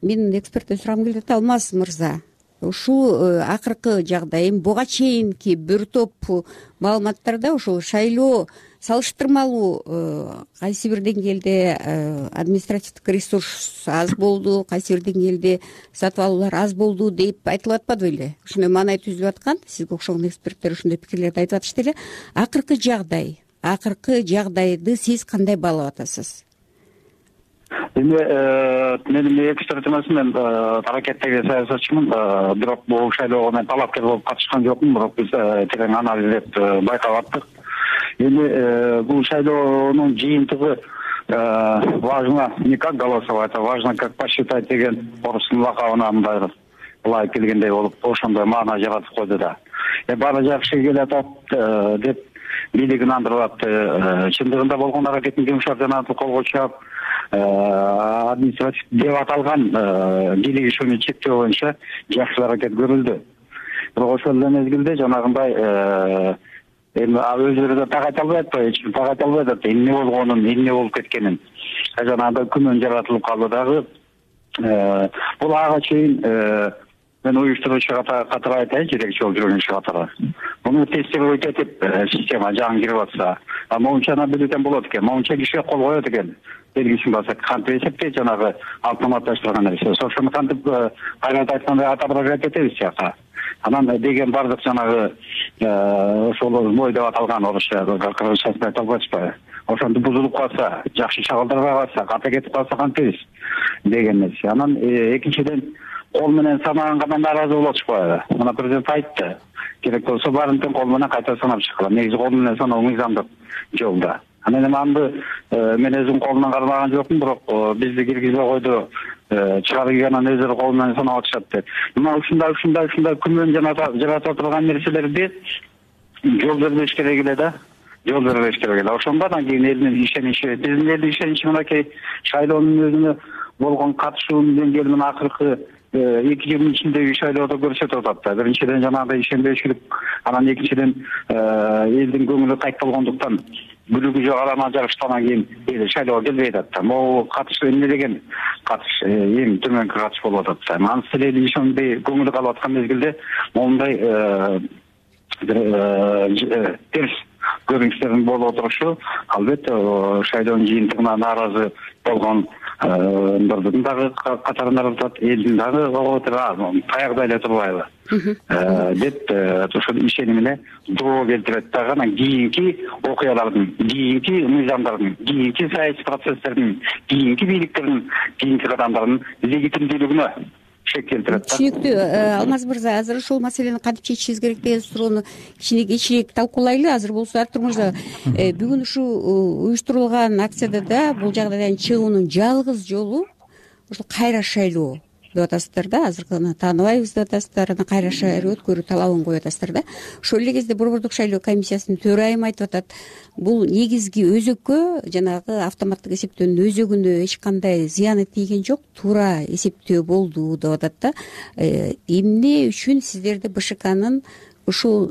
Менин эксперттен сурагым келип атат, Алмаз мырза. Ушул акыркы жагдай, буга чейинки бир топ маалыматтарда ушул шайлоо салыштырмалуу кайсы бир деңгээлде административдик ресурс аз болду, кайсы бир деңгээлде сатып алуулар аз болду деп айтылып атпадыбы эле? Ушундай маанай түзүлүп аткан, сизге окшогон эксперттер ушундай пикирлерди айтып атышты эле. Акыркы жагдай, акыркы жагдайды сиз кандай баалап атасыз? Эми менин эксперт эмесмин, мен аракеттеги саясатчымын, бирок бул шайлоого мен талапкер болуп катышкан жокмун, бирок биз терең анализдеп байкап аттык. Эми бул шайлоонун жыйынтыгы важно не как голосовать, а важно как посчитать деген орустун лакабына мындай былай келгендей болуп ошондой маана жаратып койду да. Баары жакшы келе атат деп бийлик ынандырып атты. Чындыгында болгон аракеттин жумушар жанагы колго чаап административ деп аталган бийлик ишин чектөө боюнча жакшы аракет көрүлдү. Бирок ошол эле мезгилде жанагындай эми өзүлөрү да так айта албайт атпайбы, эч ким так айта албайт атпайбы эмне болгонун, эмне болуп кеткенин. Жанагындай күмөн жаратылып калды дагы. Бул ага чейин мен уюштуруучу катары айтайын, жетекчи болуп жүргөн катары. Муну тестировать этип система жаңы кирип атса, моунчаны билген болот экен, моунча кишиге кол коет экен. Белгисин басат, кантип эсептейт жанагы автоматташтырган нерсе. Ошону кантип кайрат айткандай отображать этебиз жака. Анан деген бардык жанагы ошол мой деп аталган орусча, кыргызчасын айта албайсызбы? Ошондо бузулуп калса, жакшы чагылдырбай калса, ката кетип калса кантебиз деген нерсе. Анан экинчиден кол менен санаганга нааразы болотушпайбы? Мына президент айтты. Керек болсо баарын тең кол менен кайта санап чыккыла. Негизи кол менен саноо мыйзамдык жолда. Анан эми аны мен өзүм колунан кармаган жокмун, бирок бизди киргизбей койду. Чыгаргандан өздөрү кол менен санап атышат деп. Мына ушундай ушундай ушундай күмөн жаратып турган нерселерди жол бербеш керек эле да. Жол бербеш керек эле. Ошондон кийин элдин ишеничи, биздин элдин ишеничи мынакей шайлоонун өзүнө болгон катышуунун деңгээли менен акыркы эки жылдын ичиндеги шайлоодо көрсөтүп атат да. Биринчиден жанагындай ишенбейчилик, анан экинчиден элдин көңүлү кайт болгондуктан бүлүгү жок арана жарыштан кийин эл шайлоого келбей атат да. Могу катыш эмне деген катыш эң төмөнкү катыш болуп атат да. Анын эл ишенбей көңүлү калып аткан мезгилде моундай терс көрүнүштөрдүн болуп отурушу албетте шайлоонун жыйынтыгына нааразы болгон ндордун дагы катарында атат, элдин дагы таягда эле турбайбы деп ошол ишенимине доо келтирет дагы. Анан кийинки окуялардын, кийинки мыйзамдардын, кийинки саясий процесстердин, кийинки бийликтердин, кийинки кадамдардын легитимдүүлүгүнө шек келтирет да. Түшүнүктүү. Алмаз мырза, азыр ушул маселени кантип чечишибиз керек деген суроону кичине кечирээк талкуулайлы. Азыр болсо Артур мырза, бүгүн ушул уюштурулган акцияда да бул жагдайдан чыгуунун жалгыз жолу ушул кайра шайлоо деп атасыздар да. Азыркыны тааныбайбыз деп атасыздар, анан кайра шайлоо өткөрүү талабын коюп атасыздар да. Ошол эле кезде Борбордук шайлоо комиссиясынын төрайымы айтып атат, бул негизги өзөккө жанагы автоматтык эсептөөнүн өзөгүнө эч кандай зыяны тийген жок, туура эсептөө болду деп атат да. Эмне үчүн сиздерди БШКнын ушул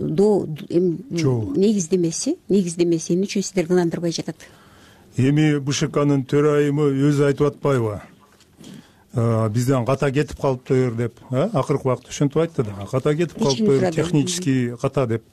негиздемеси, негиздемеси эмне үчүн сиздерди ынандырбай жатат? Эми БШКнын төрайымы өзү айтып атпайбы? Бизден ката кетип калыптыр деп, акыркы убакытта ошентип айтты да. Ката кетип калыптыр, технический ката деп.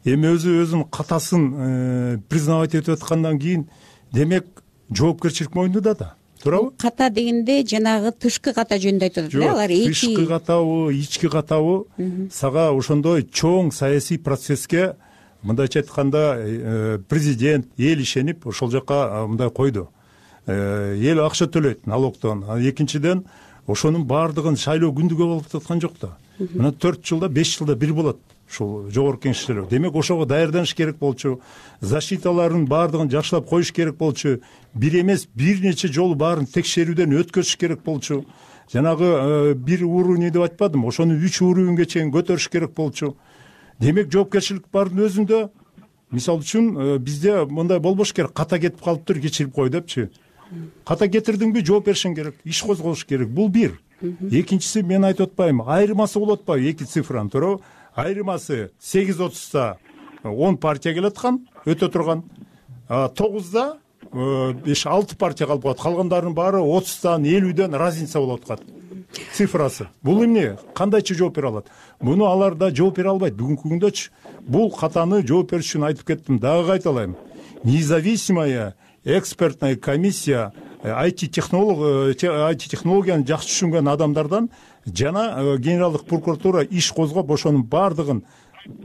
Эми өзү өзүнүн катасын признавать этип аткандан кийин, демек жоопкерчилик мойнунда да. Туурабы? Ката дегенде жанагы тышкы ката жөнүндө айтып атат да. Алар эки тышкы катабы, ички катабы сага ошондой чоң саясий процесске мындайча айтканда президент эл ишенип ошол жака мындай койду. Эл акча төлөйт налогдон. Экинчиден ошонун баардыгын шайлоо күндүгө болуп аткан жок да. Мына төрт жылда, беш жылда бир болот ушул жогорку кеңешчилер. Демек ошого даярданыш керек болчу, защиталарын баардыгын жакшылап коюш керек болчу, бир эмес бир нече жолу баарын текшерүүдөн өткөзүш керек болчу. Жанагы бир уровень деп айтпадым, ошону үч уровеньге чейин көтөрүш керек болчу. Демек жоопкерчилик бардын өзүндө. Мисалы үчүн бизде мындай болбош керек, ката кетип калыптыр, кечирип кой депчи. Ката кетирдиңби, жооп беришиң керек, иш козголуш керек. Бул бир. Экинчиси, мен айтып атпайм, айырмасы болуп атпайбы эки цифранын, туурабы? Айырмасы сегиз отузда он партия келаткан, өтө турган. тогузда беш алты партия калып калат. Калгандарынын баары отуздан, элүүдөн разница болуп аткат. Цифрасы. Бул эмне? Кандайча жооп бере алат? Муну алар да жооп бере албайт бүгүнкү күндөчү. Бул катаны жооп бериш үчүн айтып кеттим, дагы кайталайм. Независимая экспертная комиссия ай ти технолог ай ти технологияны жакшы түшүнгөн адамдардан жана генералдык прокуратура иш козгоп ошонун баардыгын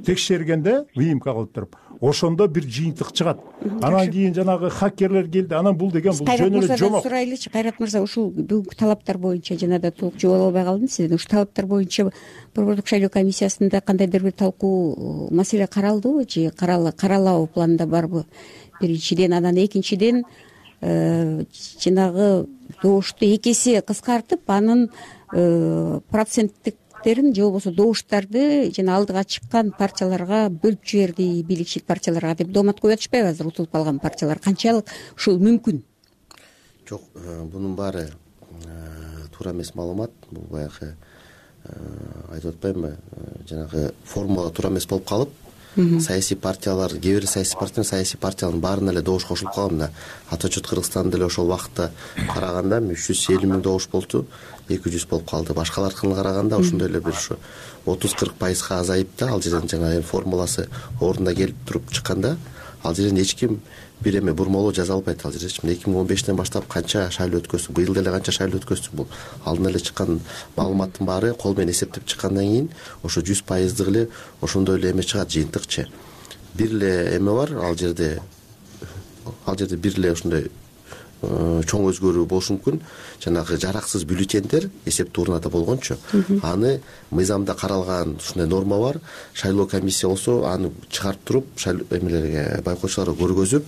текшергенде выемка кылып туруп, ошондо бир жыйынтык чыгат. Анан кийин жанагы хакерлер келди, анан бул деген бул жөн эле жомок. Сурайлычы, Кайрат мырза, ушул бүгүнкү талаптар боюнча жана да толук жооп албай калдым сизден. Ушул талаптар боюнча Борбордук шайлоо комиссиясында кандайдыр бир талкуу маселе каралдыбы же каралабы планда барбы? Биринчиден, анан экинчиден жанагы добушту эки эсе кыскартып, анын проценттик бийликтерин же болбосо добуштарды жана алдыга чыккан партияларга бөлүп жиберди, бийликчил партияларга деп доомат коюп атышпайбы азыр утулуп калган партиялар? Канчалык ушул мүмкүн? Жок, бунун баары туура эмес маалымат. Бул баягы айтып атпаймынбы, жанагы формула туура эмес болуп калып, саясий партиялар, кээ бир саясий партиялар, саясий партиялардын баарына эле добуш кошулуп калган. Мына Ата Чут Кыргызстанда деле ошол убакытта караганда үч жүз элүү миң добуш болчу, эки жүз болуп калды. Башкаларына караганда ошондой эле бир ушу отуз кырк пайызга азайып да, ал жерден жана формуласы ордуна келип туруп чыкканда, ал жерден эч ким бир эме бурмалоо жаза албайт. Ал жерде эки миң он бештен баштап канча шайлоо өткөздүк, быйыл деле канча шайлоо өткөздүк, бул алдын эле чыккан маалыматтын баары кол менен эсептеп чыккандан кийин ошо жүз пайыздык эле ошондой эле эме чыгат, жыйынтыкчы. Бир эле эме бар, ал жерде ал жерде бир эле ошондой чоң өзгөрүү болушу мүмкүн. Жанагы жараксыз бюллетендер эсептөө урнада болгончу, аны мыйзамда каралган ушундай норма бар. Шайлоо комиссия болсо аны чыгарып туруп, эмелерге, байкоочуларга көргөзүп,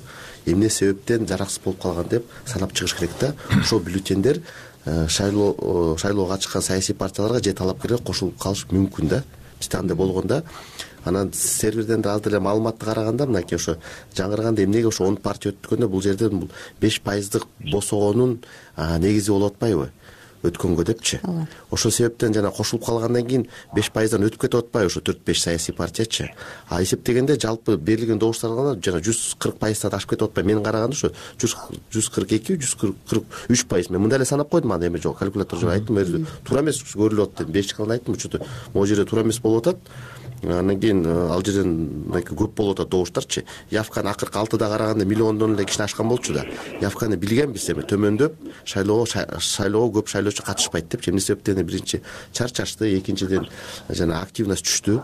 эмне себептен жараксыз болуп калган деп санап чыгыш керек да. Ошол бюллетендер шайлоо шайлоого чыккан саясий партияларга же талапкерлерге кошулуп калышы мүмкүн да. Бизде андай болгондо анан серверден да аз деле маалыматты караганда, мынакей ошо жаңырганда эмнеге ошо он партия өткөндө бул жерден бул беш пайыздык босогонун негизи болуп атпайбы өткөнгө депчи. Ошол себептен жана кошулуп калгандан кийин беш пайыздан өтүп кетип атпайбы ошо төрт беш саясий партиячы. А эсептегенде жалпы берилген добуштарга жана жүз кырк пайыздан ашып кетип атпайбы. Менин караганда ошо жүз кырк эки жүз кырк үч пайыз. Мен мындай эле санап койдум, анда эме жок, калькулятор жок, айттым, туура эмес көрүлүп атат деп беш кылган айттым, учурда могу жерде туура эмес болуп атат. Андан кийин ал жерден көп болуп атат добуштарчы. Явканы акыркы алтыда караганда миллиондон эле кичине ашкан болчу да. Явканы билгенбиз, эми төмөндөп шайлоого шайлоого көп шайлоочу катышпайт деп. Эмне себептен биринчи чарчашты, экинчиден жана активность түштү.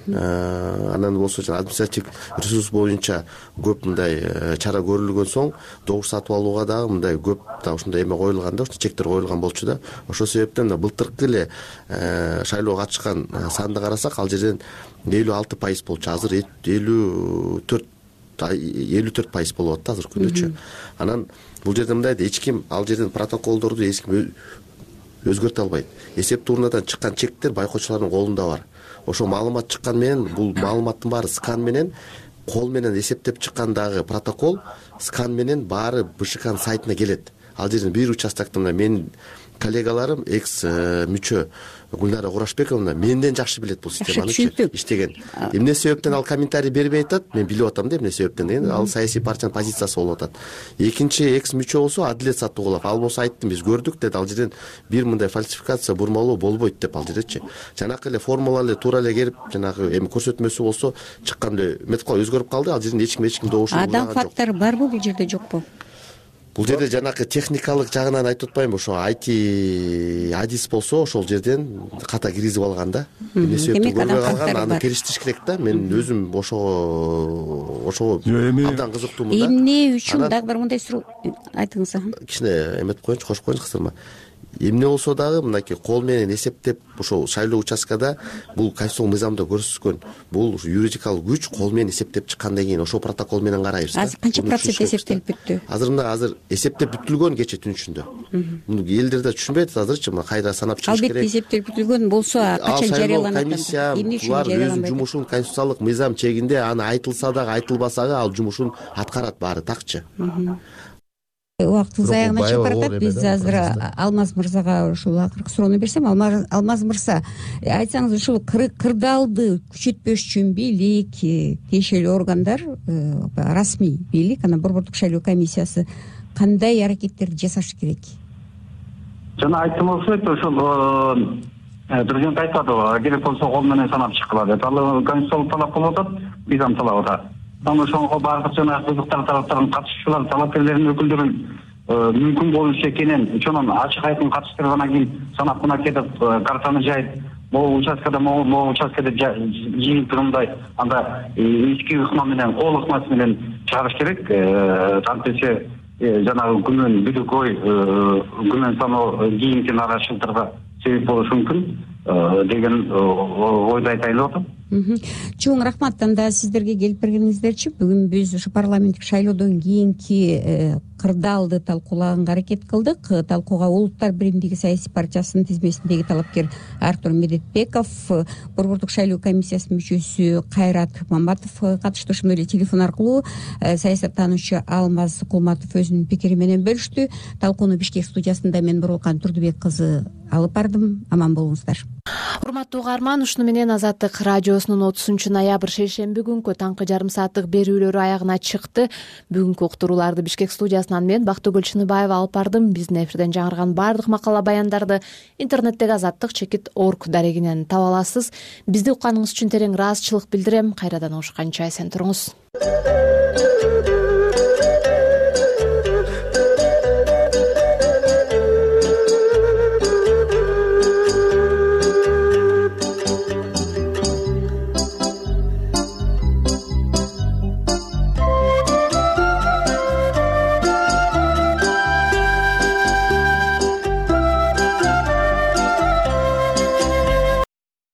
Анан болсо жана административдик ресурс боюнча көп мындай чара көрүлгөн соң добуш сатып алууга дагы мындай көп да ушундай эме коюлган да, ушундай чектер коюлган болчу да. Ошол себептен былтыркы эле шайлоого катышкан санды карасак, ал жерден элүү алты пайыз болчу, азыр элүү төрт элүү төрт пайыз болуп атты азыркы күндөчү. Анан бул жерде мындай да, эч ким ал жерден протоколдорду эч ким өзгөртө албайт. Эсептөө урнадан чыккан чектер байкоочулардын колунда бар. Ошо маалымат чыккан менен бул маалыматтын баары скан менен, кол менен эсептеп чыккандагы протокол скан менен баары БШКнын сайтына келет. Ал жерден бир участоктон менин коллегаларым, экс мүчө Гүлнара Курашбековна менден жакшы билет бул системаны иштеген. Эмне себептен ал комментарий бербей атат, мен билип атам да эмне себептен деген, ал саясий партиянын позициясы болуп атат. Экинчи экс мүчө болсо Адилет Саттуугулов, ал болсо айттым, биз көрдүк деди, ал жерден бир мындай фальсификация, бурмалоо болбойт деп ал жердечи. Жанакы эле формула эле туура эле келип, жанагы эми көрсөтмөсү болсо чыккан эле метод өзгөрүп калды. Ал жерден эч ким эч ким добуш алган жок. Адам фактор барбы бул жерде, жокпу? Бул жерде жанакы техникалык жагынан айтып атпайм, ошо ай ти адис болсо ошол жерден ката киргизип алган да. Эмне себептен көрбөй калган, аны келиштириш керек да. Мен өзүм ошого ошого абдан кызыктуумун да. Эмне үчүн дагы бир мындай суроо айтыңыз. Кичине эметип коеюнчу, кошуп коеюнчу кысылма. Эмне болсо дагы мынакей кол менен эсептеп ошол шайлоо участкада бул конституциялык мыйзамда көрсөткөн бул юридикалык күч кол менен эсептеп чыккандан кийин ошол протокол менен карайбыз да. Азыр канча процент эсептелип бүттү? Азыр мына азыр эсептеп бүтүлгөн кече түн ичинде. Муну элдер да түшүнбөйт азырчы, мына кайра санап чыгыш керек. Албетте эсептелип бүтүлгөн болсо качан жарыяланат? Комиссия булар өзүнүн жумушун конституциялык мыйзам чегинде, аны айтылса дагы айтылбаса дагы ал жумушун аткарат баары такчы. Убактыбыз аягына чыгып баратат. Биз азыр Алмаз мырзага ушул акыркы суроону берсем, Алмаз мырза, айтсаңыз, ушул кырдаалды күчөтпөш үчүн бийлик, тиешелүү органдар, расмий бийлик, анан Борбордук шайлоо комиссиясы кандай аракеттерди жасашы керек? Жана айттым окшойт, ошол президент айтпадыбы, керек болсо кол менен санап чыккыла деп. Ал конституциялык талап болуп атат, мыйзам талап атат. Аны ошого бардык жана кызыктар тараптардын катышуучулар, талапкерлердин өкүлдөрүн мүмкүн болушу экенин ошонун ачык айкын катыштырып, анан кийин санап мына кетип картаны жайып, могу участкада могу участкада жыйынтыгындай анда ички ыкма менен, кол ыкмасы менен чыгарыш керек. Антесе жанагы күмөн бүдүк ой, күмөн саноо кийинки нараачылыктарга себеп болушу мүмкүн деген ойду айтайын деп атам. чоң рахмат. Анда сиздерге келип бергениңиздерчи. Бүгүн биз ушу парламенттик шайлоодон кийинки кырдаалды талкуулаганга аракет кылдык. Талкууга Улуттар биримдиги саясий партиясынын тизмесиндеги талапкер Артур Медетбеков, Борбордук шайлоо комиссиясынын мүчөсү Кайрат Маматов катышты. Ошондой эле телефон аркылуу саясаттануучу Алмаз Кулматов өзүнүн пикири менен бөлүштү. Талкууну Бишкек студиясында мен Буруукан Турдубек кызы алып бардым. Аман болуңуздар. Урматтуу угарман, ушуну менен Азаттык радиосунун отузунчу ноябрь шейшемби күнкү таңкы жарым сааттык берүүлөрү аягына чыкты. Бүгүнкү уктурууларды Бишкек студиясынан мен Бактыгүл Чыныбаева алып бардым. Биздин эфирден жаңырган баардык макала баяндарды интернеттеги азаттык чекит орг дарегинен таба аласыз. Бизди укканыңыз үчүн терең ыраазычылык билдирем. Кайрадан угушканча эсен туруңуз.